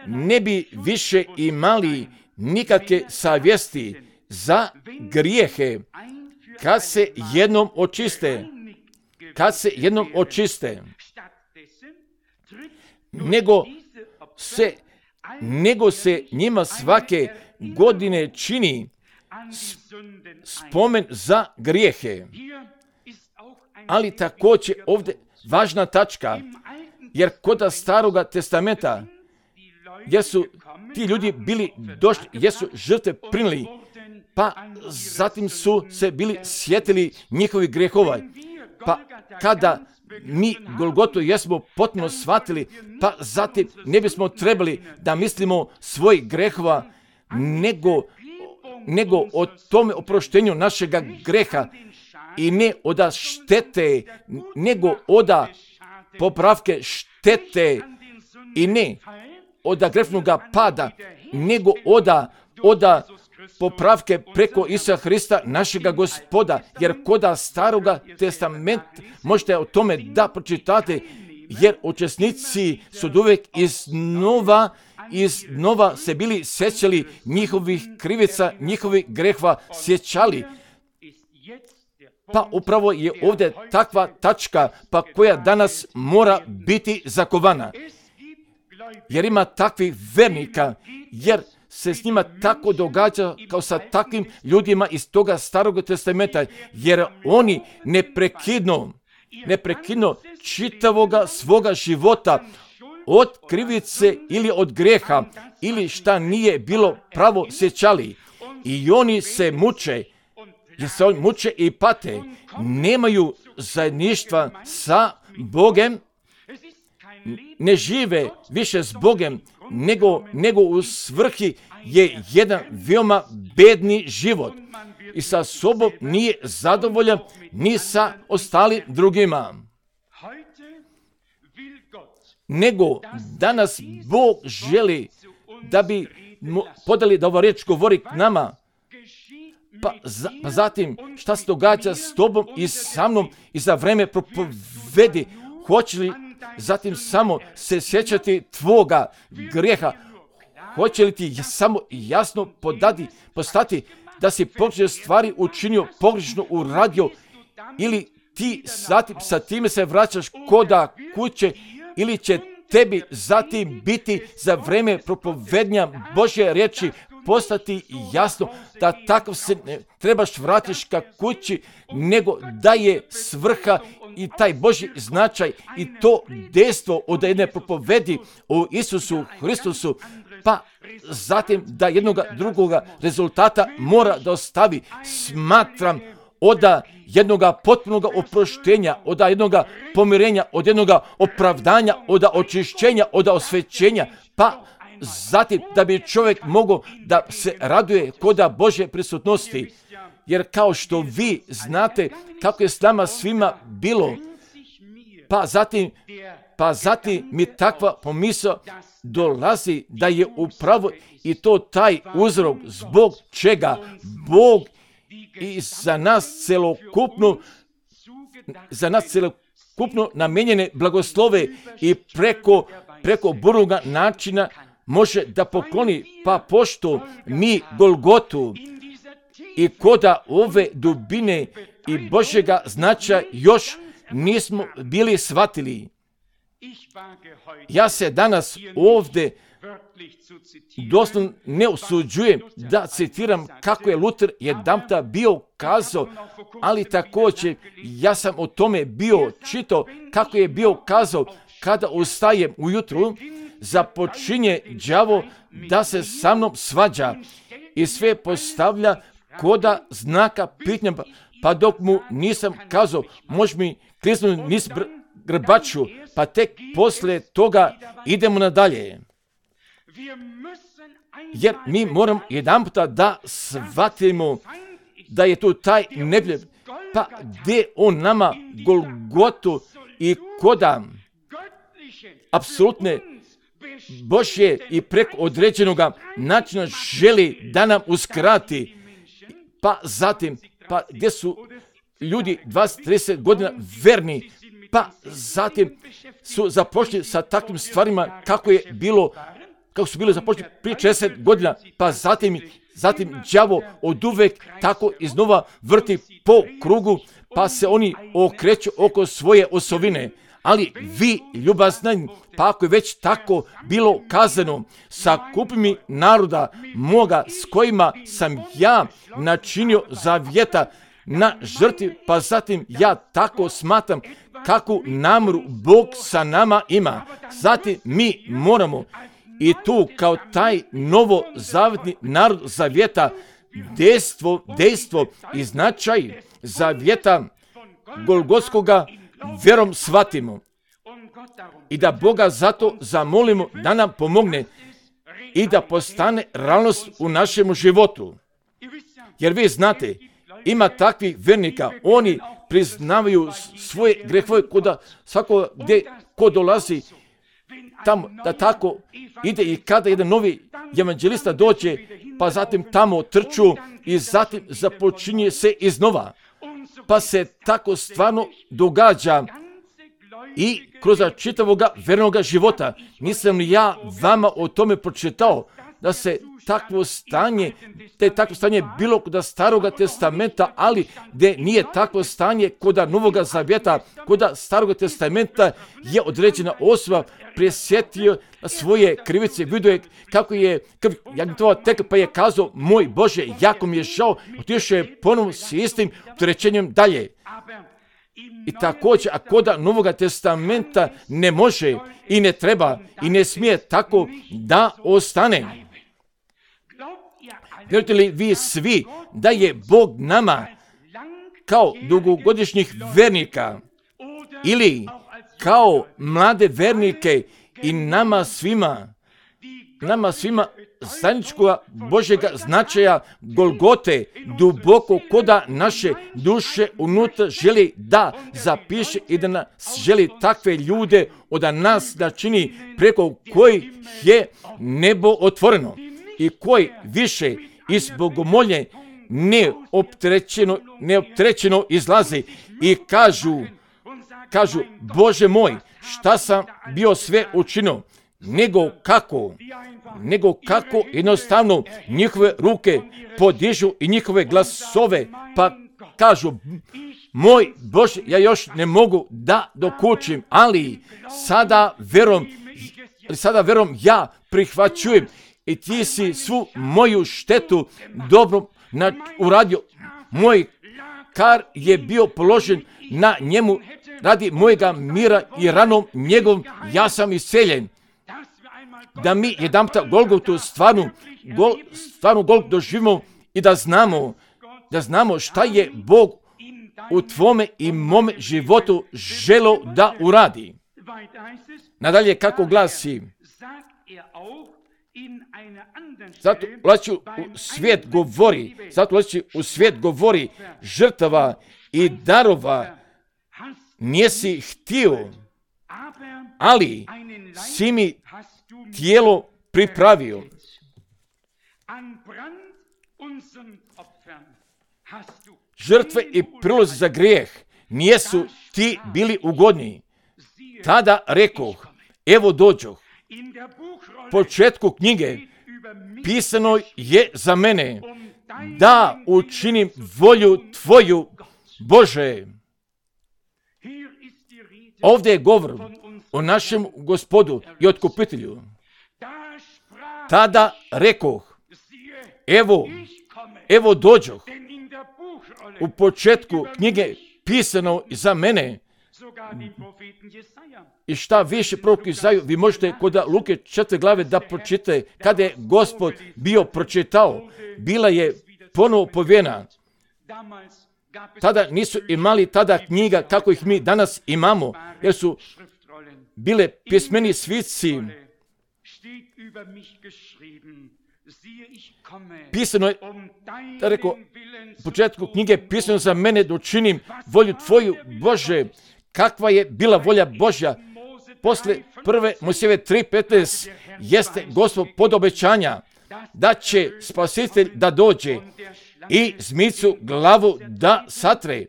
ne bi više imali nikakve savjesti za grijehe kad se jednom očiste, kad se jednom očiste, nego se, nego se njima svake godine čini spomen za grijehe. Ali također ovdje važna tačka, jer kod Staroga testamenta, jer su ti ljudi bili došli, jer su žrtve prinili, pa zatim su se bili sjetili njihovih grehova. Pa kada mi Golgotu jesmo potpuno shvatili, pa zatim ne bismo trebali da mislimo svojih grehova, nego, nego o tome oproštenju našega greha i ne oda štete, nego oda popravke štete i ne oda grefnoga pada, nego oda, oda popravke preko Isusa Hrista, našega Gospoda, jer koda Staroga testamenta možete o tome da pročitate, jer učesnici su uvijek iznova, iznova se bili sjećali njihovih krivica, njihovih grehova sjećali. Pa upravo je ovdje takva tačka, pa koja danas mora biti zakovana. Jer ima takvih vernika, jer se s njima tako događa kao sa takvim ljudima iz toga Starog testamenta, jer oni neprekidno, neprekidno čitavoga svoga života od krivice ili od greha ili šta nije bilo pravo sjećali. I oni se muče, jer se oni muče i pate, nemaju zajedništva sa Bogem, ne žive više s Bogem, nego, nego u svrhi je jedan veoma bedni život i sa sobom nije zadovoljan ni sa ostalim drugima. Nego danas Bog želi da bi mu podali da ova riječ govori k nama, pa, za, pa zatim šta se događa s tobom i sa mnom i za vreme propovedi, hoće li zatim samo se sjećati tvoga grijeha, hoće li ti samo jasno podati, postati da si pogrešne stvari učinio, pogrešno uradio, ili ti zatim sa time se vraćaš koda kuće, ili će tebi zatim biti za vreme propovednja Božje riječi postati jasno da takav se ne trebaš vratiš ka kući, nego da je svrha i taj Božji značaj i to dejstvo od jedne propovedi o Isusu Hristusu, pa zatim da jednoga drugoga rezultata mora da ostavi. Smatram od jednoga potpunoga oproštenja, od jednoga pomirenja, od jednoga opravdanja, od očišćenja, od osvećenja, pa zatim da bi čovjek mogao da se raduje koda Božje prisutnosti. Jer kao što vi znate kako je s nama svima bilo, Pa zatim, pa zatim mi takva pomisao dolazi da je upravo i to taj uzrok zbog čega Bog i za nas celokupno, za nas celokupno namijenjene blagoslove i preko, preko burnoga načina može da pokloni, pa pošto mi Golgotu i koda ove dubine i Božjega značaja još nismo bili shvatili. Ja se danas ovdje doslovno ne usuđujem da citiram kako je Luter jedanputa bio kazao, ali također ja sam o tome bio čitao kako je bio kazao, kada ustajem ujutru, započinje đavo da se sa mnom svađa i sve postavlja koda znaka pitanja, pa dok mu nisam kazao, može mi kliznuti niz grbaču, pa tek poslije toga idemo nadalje. Jer mi moramo jedan puta da shvatimo da je tu taj neprijatelj, pa gdje on nama Golgotu i koda apsolutne Božje i preko određenoga načina želi da nam uskrati, pa zatim, pa gdje su ljudi dvadeset trideset godina verni, pa zatim su započeli sa takvim stvarima kako je bilo, kako su bili započeli prije četrdeset godina, pa zatim, zatim đavo od uvek tako iznova vrti po krugu, pa se oni okreću oko svoje osovine. Ali vi, ljubazni, pa ako je već tako bilo kazano, sakupi mi naroda moga s kojima sam ja načinio zavjeta na žrtvi, pa zatim ja tako smatram kakvu namjeru Bog sa nama ima. Zatim mi moramo i tu kao taj novozavjetni narod zavjeta dejstvo, dejstvo i značaj zavjeta Golgotskoga vjerom shvatimo i da Boga zato zamolimo da nam pomogne i da postane realnost u našem životu. Jer vi znate, ima takvih vjernika, oni priznavaju svoje grehove koda svako gdje ko dolazi tamo, da tako ide i kada jedan novi evanđelista dođe, pa zatim tamo trču i zatim započinje se iznova. Pa se tako stvarno događa i kroz čitavoga vjernoga života. Nisam li ja vama o tome pročitao da se takvo stanje, te takvo stanje bilo kod Staroga testamenta, ali gdje nije takvo stanje kod Novoga zavjeta, kod Staroga testamenta je određena osoba presjetio svoje krivice, vidio je kako je krv jagnjetova tekla, pa je kazao, moj Bože, jako mi je žao, otišao je ponovno s istim opterećenjem dalje. I također, a kod Novoga testamenta ne može i ne treba i ne smije tako da ostane. Vjerujete li vi svi da je Bog nama kao dugogodišnjih vernika ili kao mlade vernike i nama svima, nama svima zajedničkoga Božjega značaja Golgote duboko koda naše duše unutra želi da zapiše i da nas želi takve ljude od nas da čini preko kojih je nebo otvoreno i koji više iz bogomolje neopterećeno, neopterećeno izlazi i kažu, kažu, Bože moj, šta sam bio sve učinio, nego kako, nego kako jednostavno njihove ruke podižu i njihove glasove, pa kažu, moj Bože, ja još ne mogu da dokučim, ali sada verom, sada verom ja prihvaćujem i ti si svu moju štetu dobro na, uradio. Moj kar je bio položen na njemu radi mojega mira i ranom njegovom ja sam isceljen. Da mi jedanputa Golgotu stvarnu, gol, stvarnu Golgotu doživimo i da znamo, da znamo šta je Bog u tvome i mome životu želo da uradi. Nadalje kako glasi, zato ulazi u svijet govori, zato ulazi u svijet govori žrtava i darova nisi htio, ali si mi tijelo pripravio. Žrtve i prilozi za grijeh nijesu ti bili ugodni. Tada rekoh, evo dođoh. Početku knjige pisano je za mene da učinim volju tvoju, Bože. Ovdje je govor o našem Gospodu i Otkupitelju. Tada rekoh, evo, evo dođoh. U početku knjige pisano za mene. I šta više prorok Izaju, vi možete kod Luke četvrte glave da pročitate, kada je Gospod bio pročitao, bila je ponovo povijena. Tada nisu imali tada knjiga kako ih mi danas imamo, jer su bile pismeni svisci. Pisano je, da rekao, u početku knjige pisano za mene da učinim volju tvoju, Bože. Kakva je bila volja Božja? Posle prve Mojsijeve tri petnaest jeste Gospod pod obećanja da će Spasitelj da dođe i zmicu glavu da satre.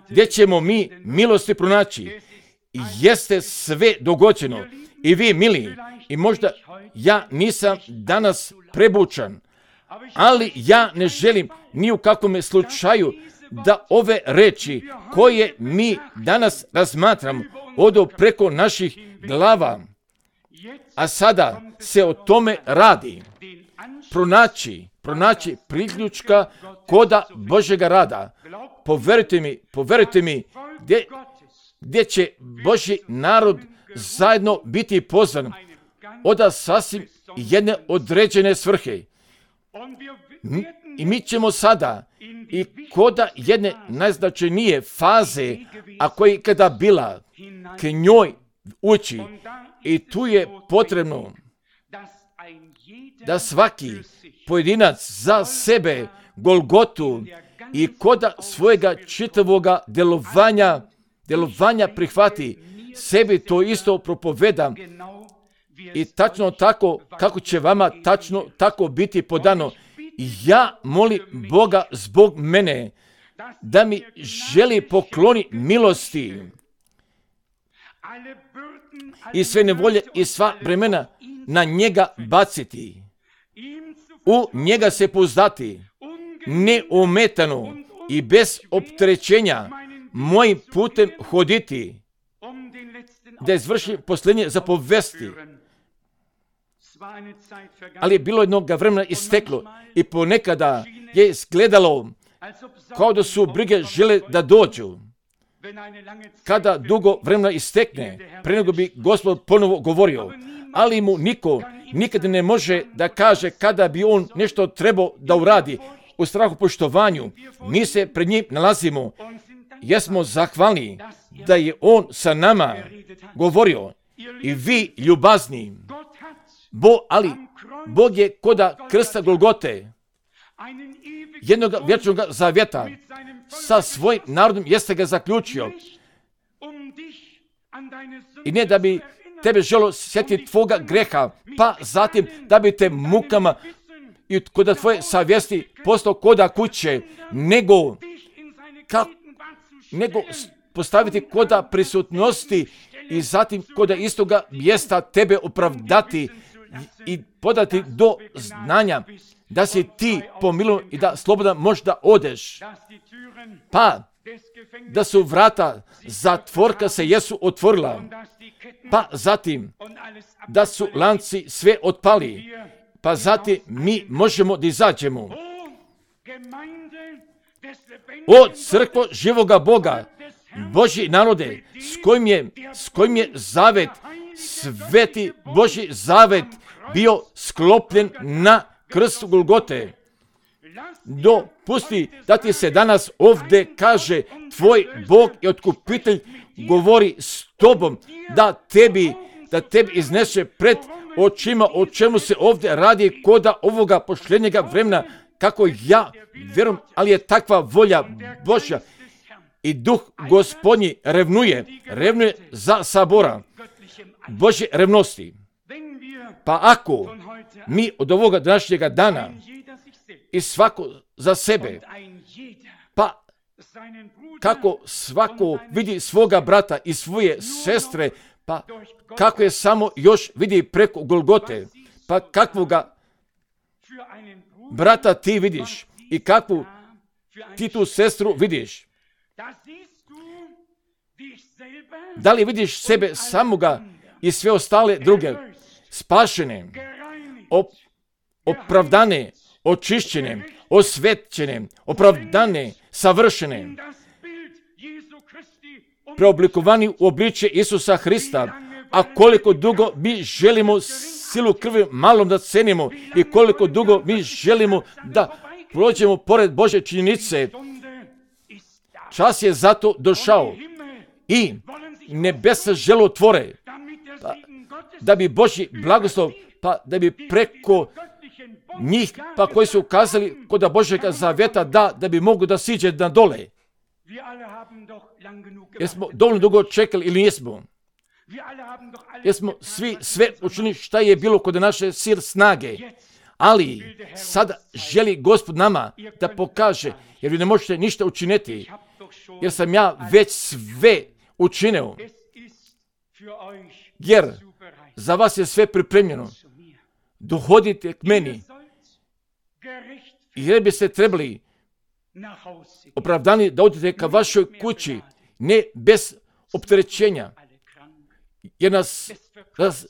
Gdje ćemo mi milosti pronaći? Jeste sve dogođeno. I vi, mili, i možda ja nisam danas prebučan, ali ja ne želim ni u kakvom slučaju da ove reči koje mi danas razmatramo odu preko naših glava. A sada se o tome radi. Pronaći, pronaći priključka koda Božjega rada. Poverujte mi, poverujte mi, gdje, gdje će Božji narod zajedno biti pozvan od sasvim jedne određene svrhe. I mi ćemo sada i koda jedne najznačajnije faze, a koja je kada bila, k njoj ući. I tu je potrebno da svaki pojedinac za sebe Golgotu i koda svojega čitavoga delovanja, delovanja prihvati. Sebi to isto propovedam i tačno tako kako će vama tačno tako biti podano. Ja molim Boga zbog mene da mi želi pokloni milosti i sve nevolje i sva bremena na njega baciti, u njega se pouzdati, neometano i bez opterećenja mojim putem hoditi, da izvrši posljednje zapovesti. Ali je bilo jednog vremena isteklo i ponekada je izgledalo kao da su brige žele da dođu. Kada dugo vremena istekne, pre nego bi Gospod ponovo govorio, ali mu niko nikada ne može da kaže kada bi on nešto trebao da uradi. U strahu poštovanju mi se pred njim nalazimo. Jesmo zahvalni da je on sa nama govorio. I vi ljubazni, Bo, ali Bog je koda krsta Golgote, jednog vječnog zavjeta, sa svojim narodom jeste ga zaključio. I ne da bi tebe želo sjetiti tvoga greha, pa zatim da bi te mukama i koda tvoje savjesti postao koda kuće, nego, ka, nego postaviti koda prisutnosti i zatim koda istoga mjesta tebe opravdati i podati do znanja da si ti pomilovan i da slobodan možda odeš. Pa da su vrata zatvorka se jesu otvorila. Pa zatim da su lanci sve otpali. Pa zatim mi možemo da izađemo. O crkvo živoga Boga, Božji narode, s kojim je, s kojim je zavet, sveti Božji zavet bio sklopljen na krstu Golgote. Dopusti da ti se danas ovdje kaže tvoj Bog i Otkupitelj govori s tobom, da tebi, da tebi iznese pred očima o čemu se ovdje radi koda ovoga posljednjega vremena, kako ja vjerujem, ali je takva volja Božja. i duh gospodnji revnuje, revnuje za sabora Božje revnosti. Pa ako mi od ovoga današnjega dana i svako za sebe, pa kako svako vidi svoga brata i svoje sestre, pa kako je samo još vidi preko Golgote, pa kakvoga brata ti vidiš i kakvu ti tu sestru vidiš. Da li vidiš sebe samoga i sve ostale druge, spašene, op, opravdane, očišćene, osvećene, opravdane, savršene, preoblikovani u obličje Isusa Hrista, a koliko dugo mi želimo silu krvi malom da cenimo i koliko dugo mi želimo da prođemo pored Božje činjenice, čas je zato došao i nebesa želotvore, pa, da bi Božji blagoslov, pa da bi preko njih, pa koji su ukazali kod Božjega zavjeta, da, da bi mogu da siđe na dole. Jesmo dovoljno dugo čekali ili nismo? Jesmo svi sve učinili šta je bilo kod naše sir snage, ali sada želi Gospod nama da pokaže, jer vi ne možete ništa učiniti, jer sam ja već sve učinio, jer za vas je sve pripremljeno. Dohodite k meni, jer bi se trebali opravdani da odete ka vašoj kući, ne bez opterećenja, jer nas raz,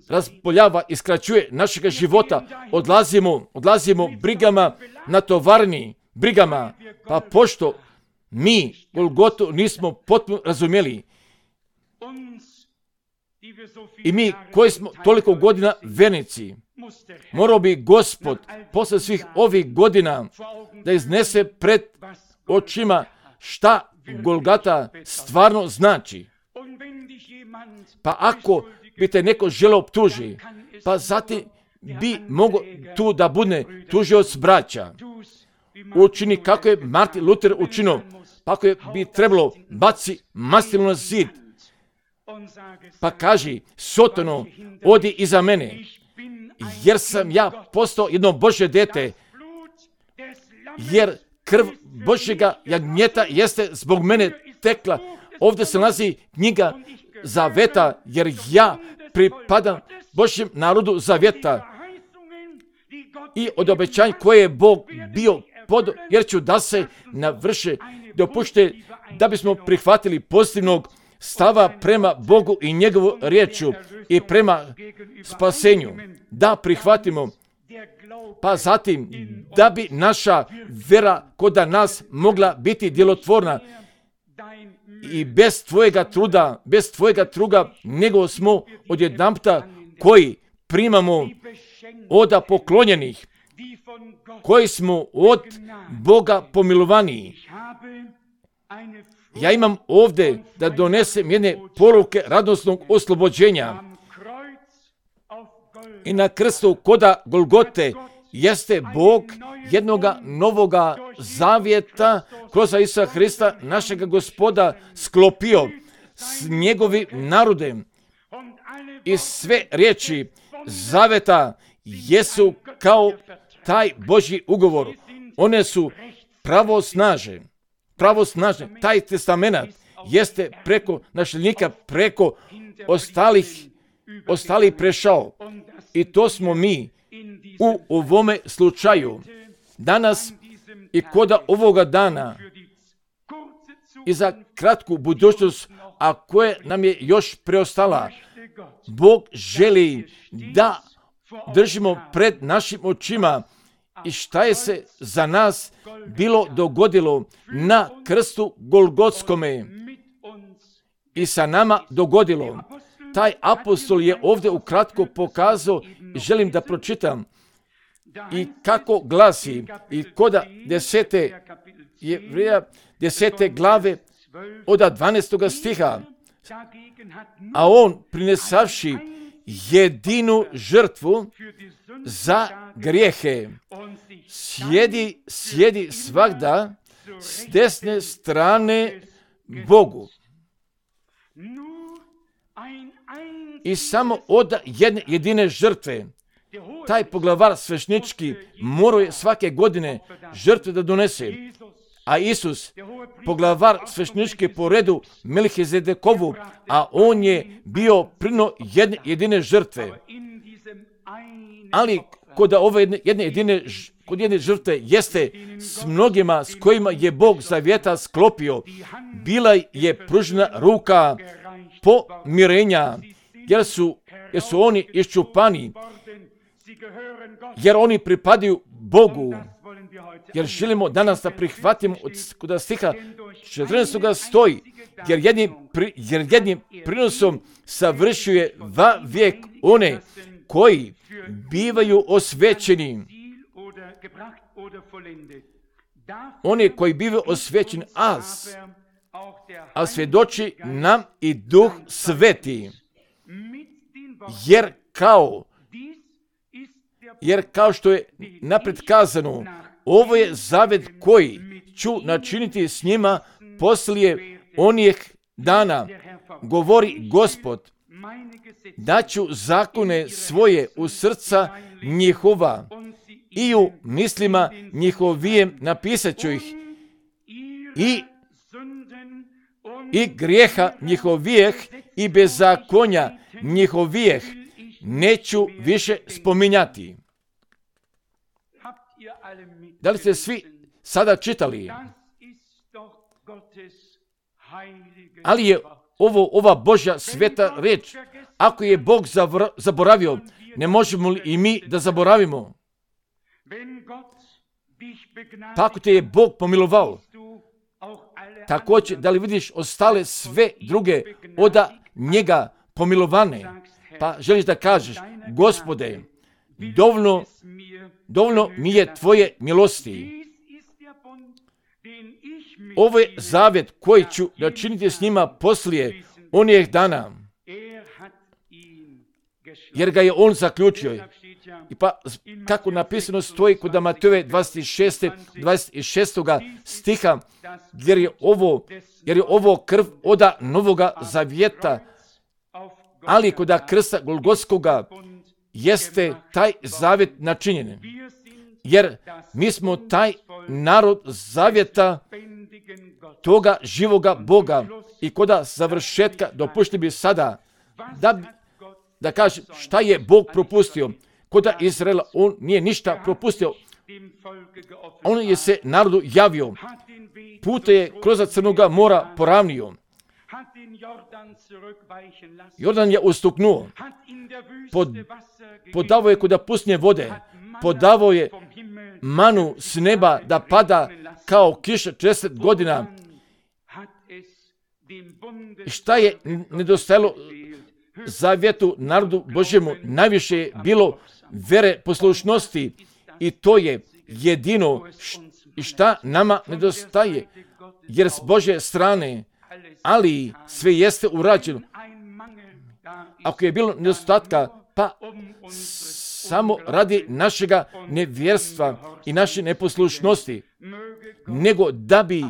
razboljava i skraćuje našega života. Odlazimo, odlazimo brigama na tovarni, brigama, pa pošto mi Golgotu nismo potpuno razumjeli i mi koji smo toliko godina vernici, morao bi Gospod posle svih ovih godina da iznese pred očima šta Golgata stvarno znači. Pa ako bi te neko želeo optuži, pa zatim bi mogo tu da bude tužioc braća. Učini kako je Martin Luther učinio, pa ako je bi trebalo baci mastilu na zid, pa kaži, Sotano, odi iza mene, jer sam ja postao jedno Božje dete, jer krv Božjega jagnjeta jeste zbog mene tekla. Ovdje se nalazi knjiga zaveta, jer ja pripadam Božjem narodu zaveta i od obećanja koje je Bog bio pod, jer ću da se navrše, dopušte da bismo prihvatili pozitivnog stava prema Bogu i njegovu riječu i prema spasenju, da prihvatimo, pa zatim da bi naša vera kod nas mogla biti djelotvorna i bez tvojega truda, bez tvojega truga, nego smo odjedanputa koji primamo od poklonjenih, koji smo od Boga pomilovaniji. Ja imam ovdje da donesem jedne poruke radosnog oslobođenja. I na krstu koda Golgote jeste Bog jednoga novoga zavjeta kroz Isusa Hrista, našega Gospoda, sklopio s njegovim narodem. I sve riječi zavjeta jesu kao taj Božji ugovor. One su pravosnažne. Pravosnažne. Taj testamenat jeste preko našljednika, preko ostalih, ostalih prešao. I to smo mi u ovome slučaju. Danas i koda ovoga dana i za kratku budućnost, a koje nam je još preostala, Bog želi da držimo pred našim očima i šta je se za nas bilo dogodilo na krstu Golgotskome i sa nama dogodilo. Taj apostol je ovdje ukratko pokazao i želim da pročitam i kako glasi i koda desete Jevreja desete glave od dvanaestog stiha, a on prinesavši jedinu žrtvu za grijehe sjedi, sjedi svagda s desne strane Bogu. I samo od jedne jedine žrtve, taj poglavar svešnički morao je svake godine žrtve da donese. A Isus, poglavar svešnički po redu Melhizedekovu, a on je bio prino jedne jedine žrtve. Ali kod ove jedne, jedne jedine kod jedne žrtve jeste s mnogima s kojima je Bog zavjeta sklopio. Bila je pružena ruka pomirenja, jer su, jer su oni iščupani, jer oni pripadaju Bogu. Jer želimo danas da prihvatimo od stiha četrnaestog stoji, jer jednim, pri, jer jednim prinosom savršuje va vijek one koji bivaju osvećeni. Oni koji bivaju osvećeni, a, a svjedoči nam i Duh Sveti. Jer kao Jer kao što je napred kazano, ovo je zavjet koji ću načiniti s njima poslije onih dana, govori Gospod, da ću zakone svoje u srca njihova i u mislima njihovijem napisat ću ih i, i grijeha njihovijeh i bezakonja njihovijeh neću više spominjati. Da li ste svi sada čitali? Ali je ovo ova Božja sveta reč. Ako je Bog zaboravio, ne možemo li i mi da zaboravimo? Pa ako te je Bog pomilovao, također da li vidiš ostale sve druge od njega pomilovane, pa želiš da kažeš, Gospode, dovoljno, dovoljno mi je tvoje milosti. Ovo je zavjet koji ću načiniti s njima poslije onih dana, jer ga je on zaključio. I pa kako napisano stoji kod Matejove dvadeset šeste, dvadeset šestog stiha, jer je ovo, jer je ovo krv od novoga zavjeta, ali kod krsta Golgotskoga jeste taj zavjet načinjen. Jer mi smo taj narod zavjeta toga živoga Boga i kod završetka dopušti bi sada da, da kaže šta je Bog propustio. Kod Izraela on nije ništa propustio. On je se narodu javio. Pute je kroz Crnoga mora poravnio. Jordan je ustuknuo. Pod, podavao je kod pustinje vode. Podavao je manu s neba da pada kao kiša četrdeset godina. Šta je nedostajalo zavjetu narodu Božjemu? Najviše je bilo vere, poslušnosti i to je jedino šta nama nedostaje. Jer s Božje strane, ali sve jeste urađeno. Ako je bilo nedostatka, pa samo radi našega nevjerstva i naše neposlušnosti, nego da bi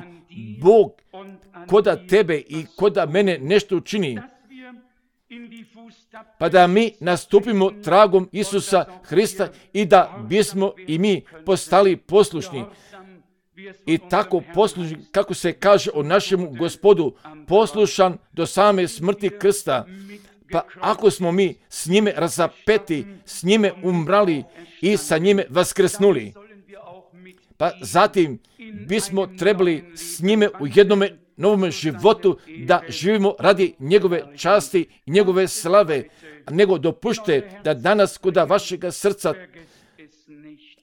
Bog koda tebe i koda mene nešto učini, pa da mi nastupimo tragom Isusa Hrista i da bismo i mi postali poslušni. I tako poslušni, kako se kaže o našemu Gospodu, poslušan do same smrti krsta. Pa ako smo mi s njime razapeti, s njime umrali i sa njime vaskrsnuli, pa zatim bismo trebali s njime u jednome novom životu da živimo radi njegove časti i njegove slave, nego dopušte da danas kod vašega srca,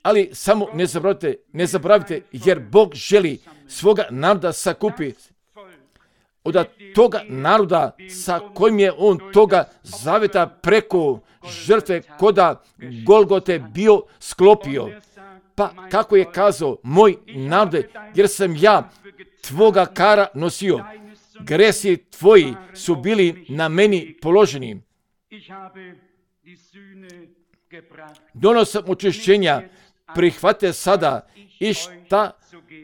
ali samo ne zaboravite, ne zaboravite, jer Bog želi svoga naroda sakupiti. Od toga naroda sa kojim je on toga zavjeta preko žrtve koda Golgote bio sklopio. Pa kako je kazao, moj narode, jer sam ja tvoga kara nosio, gresi tvoji su bili na meni položeni. Donosam očišćenja prihvate sada i šta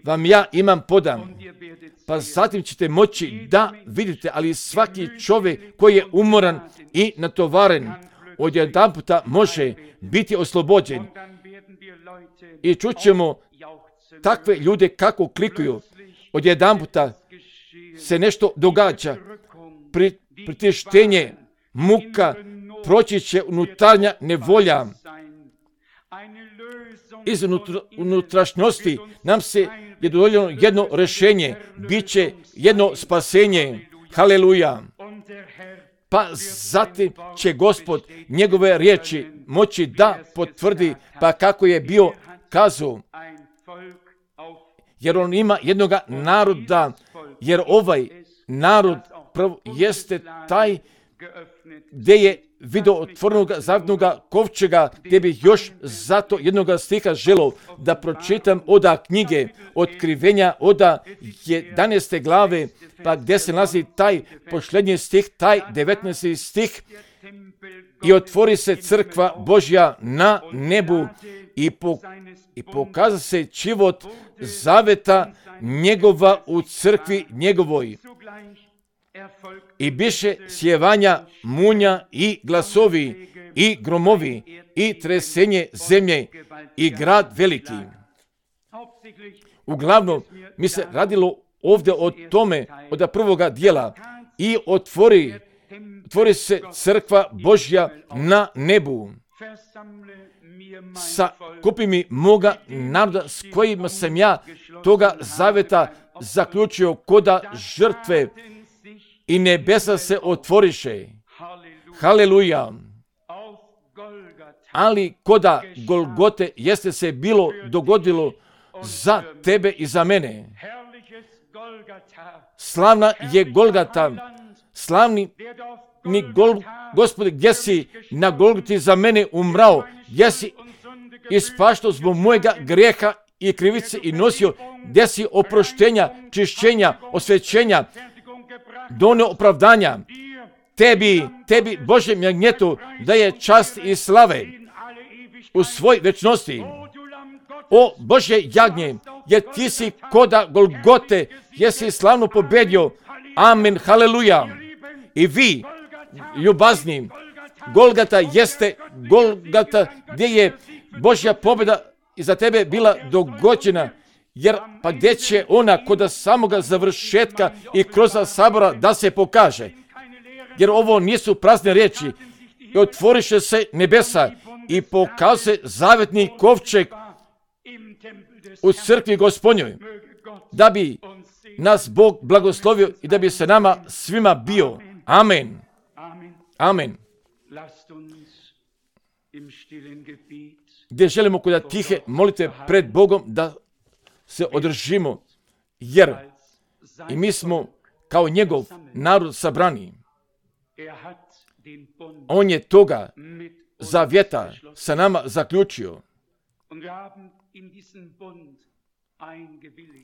vam ja imam podam. Pa zatim ćete moći da vidite, ali svaki čovjek koji je umoran i natovaren, odjedanputa može biti oslobođen. I čućemo takve ljude kako klikuju. Odjedanputa se nešto događa. Pri, pritištenje, muka, proći će unutarnja nevolja. Iz unutrašnjosti nam se je dodijeljeno jedno rješenje, bit će jedno spasenje. Haleluja. Pa zatim će Gospod njegove riječi moći da potvrdi, pa kako je bio kazao, jer on ima jednoga naroda, jer ovaj narod prvo jeste taj gdje je vidio otvorenog zavetnog kovčega, gdje bih još zato jednoga stiha želio da pročitam oda knjige Otkrivenja, oda jedanaeste glave, pa gdje se nalazi taj posljednji stih, taj devetnaesti stih, i otvori se crkva Božja na nebu i, po, i pokaza se život zaveta njegova u crkvi njegovoj. I biše sjevanja munja i glasovi i gromovi i tresenje zemlje i grad veliki. Uglavnom, mi se radilo ovdje o tome, od prvoga dijela, i otvori, otvori se crkva Božja na nebu. Sa kupi mi moga naroda s kojima sam ja toga zaveta zaključio koda žrtve, i nebesa se otvoriše. Haleluja. Ali koda Golgote jeste se bilo dogodilo za tebe i za mene. Slavna je Golgata. Slavni ni Gol, Gospode, gdje si na Golgoti za mene umrao, gdje si ispaštao zbog mojega grijeha i krivice i nosio, gdje si oproštenja, čišćenja, osvećenja, donio opravdanja. Tebi, tebi, Bože magnjetu, da je čast i slave u svoj večnosti. O Bože jagnje, jer ti si koda Golgote, jesi slavno pobedio. Amen, haleluja. I vi, ljubazni, Golgata jeste Golgata gdje je Božja pobjeda iza tebe bila dogođena. Jer pa gdje će ona kod samoga završetka i kroz sabora da se pokaže? Jer ovo nisu prazne riječi. I otvoriše se nebesa i pokaže zavetni kovčeg u crkvi Gospodnjoj, da bi nas Bog blagoslovio i da bi se nama svima bio. Amen. Amen. Gdje želimo kod tihe molite pred Bogom da se održimo, jer i mi smo kao njegov narod sabrani. On je toga zavjeta sa nama zaključio.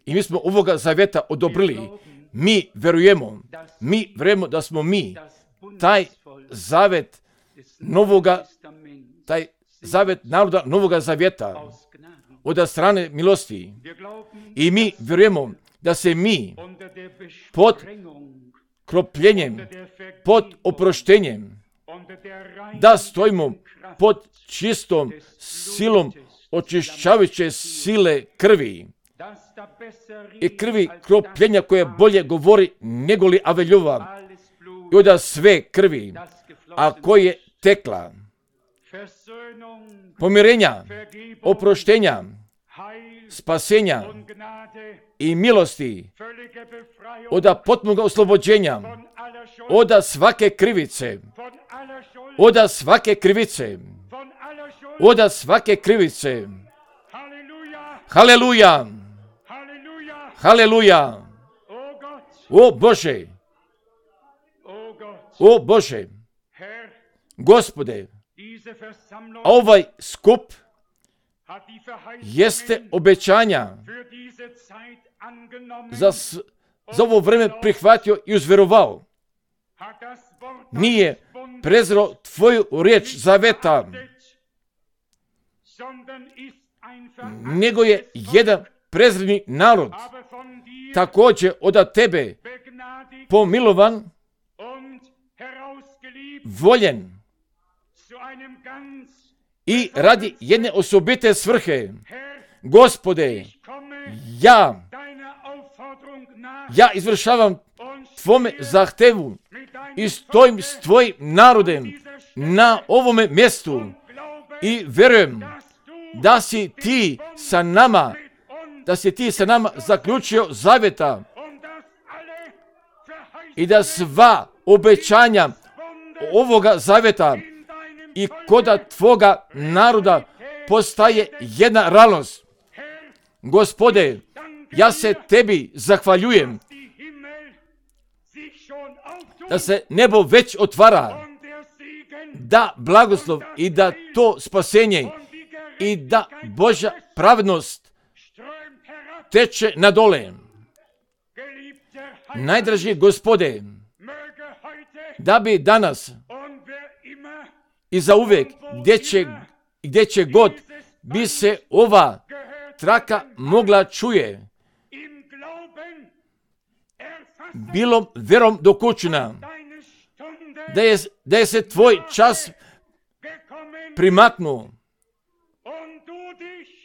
I mi smo ovoga zavjeta odobrili. Mi verujemo, mi verujemo da smo mi taj zavet novoga, taj zavet naroda novoga zavjeta od strane milosti. I mi vjerujemo da se mi pod kropljenjem, pod oproštenjem, da stojimo pod čistom silom očišćavajuće sile krvi i krvi kropljenja koje bolje govori nego li Aveljova i od sve krvi, a koje tekla pomirenja, oproštenja, spasenja i milosti, od potpunog oslobođenja, od svake krivice, od svake krivice, od svake krivice. Haleluja! Haleluja! O Bože! O Bože! Gospode, ovaj skup jeste obećanja za, za ovo vreme prihvatio i uzverovao. Nije prezreo tvoju riječ zaveta, nego je jedan prezreni narod također od tebe pomilovan, voljen i radi jedne osobite svrhe. Gospode, ja, ja izvršavam tvome zahtevu i stojim s tvojim narodem na ovome mjestu i vjerujem da si ti sa nama, da si ti sa nama zaključio zavjeta i da sva obećanja ovoga zavjeta i koda tvoga naroda postaje jedna realnost. Gospode, ja se tebi zahvaljujem da se nebo već otvara, da blagoslov i da to spasenje i da Božja pravednost teče na dole. Najdraži Gospode, da bi danas i za uvijek, gdje će, gdje će god bi se ova traka mogla čuje, bilo vjerom dokućena, da je, da je se tvoj čas primaknuo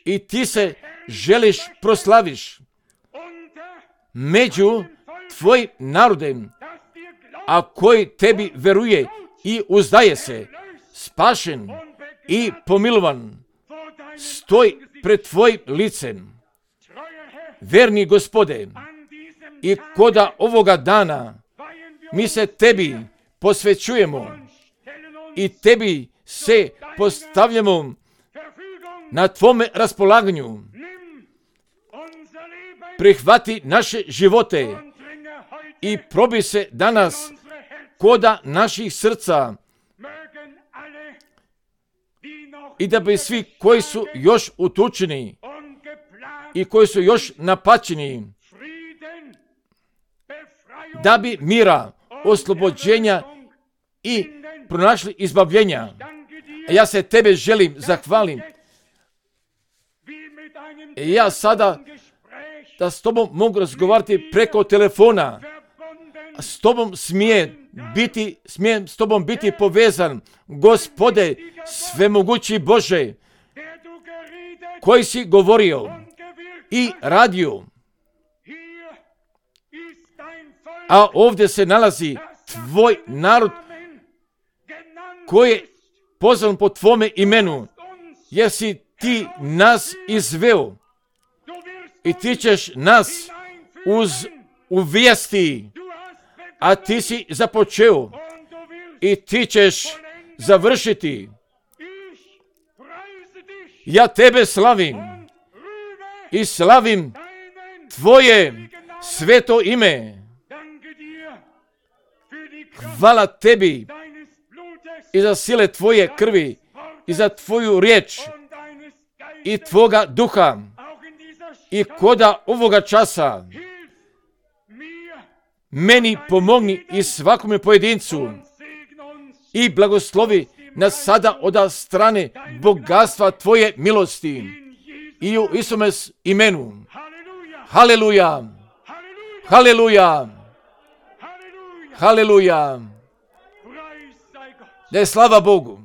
i ti se želiš proslaviš među tvojim narodem, a koji tebi veruje i uzdaje se, spašen i pomilovan, stoj pred tvojim licem. Verni Gospode, i koda ovoga dana mi se tebi posvećujemo i tebi se postavljamo na tvome raspolaganju. Prihvati naše živote i probi se danas koda naših srca i da bi svi koji su još utučeni i koji su još napačeni, da bi mira, oslobođenja i pronašli izbavljenja. A ja se tebe želim zahvalim. Ja sada da s tobom mogu razgovarati preko telefona. S tobom smije biti, smijem s tobom biti povezan. Gospode, svemogući Bože, koji si govorio i radio. A ovdje se nalazi tvoj narod koji je pozvan po tvome imenu, jer si ti nas izveo i ti ćeš nas uz uvijesti, a ti si započeo i ti ćeš završiti. Ja tebe slavim i slavim tvoje sveto ime. Hvala tebi i za sile tvoje krvi i za tvoju riječ i tvoga duha i koda ovoga časa meni pomogni i svakome pojedincu i blagoslovi nas sada od strane bogatstva tvoje milosti i u Isume imenu. Haleluja! Haleluja! Haleluja! Da je slava Bogu.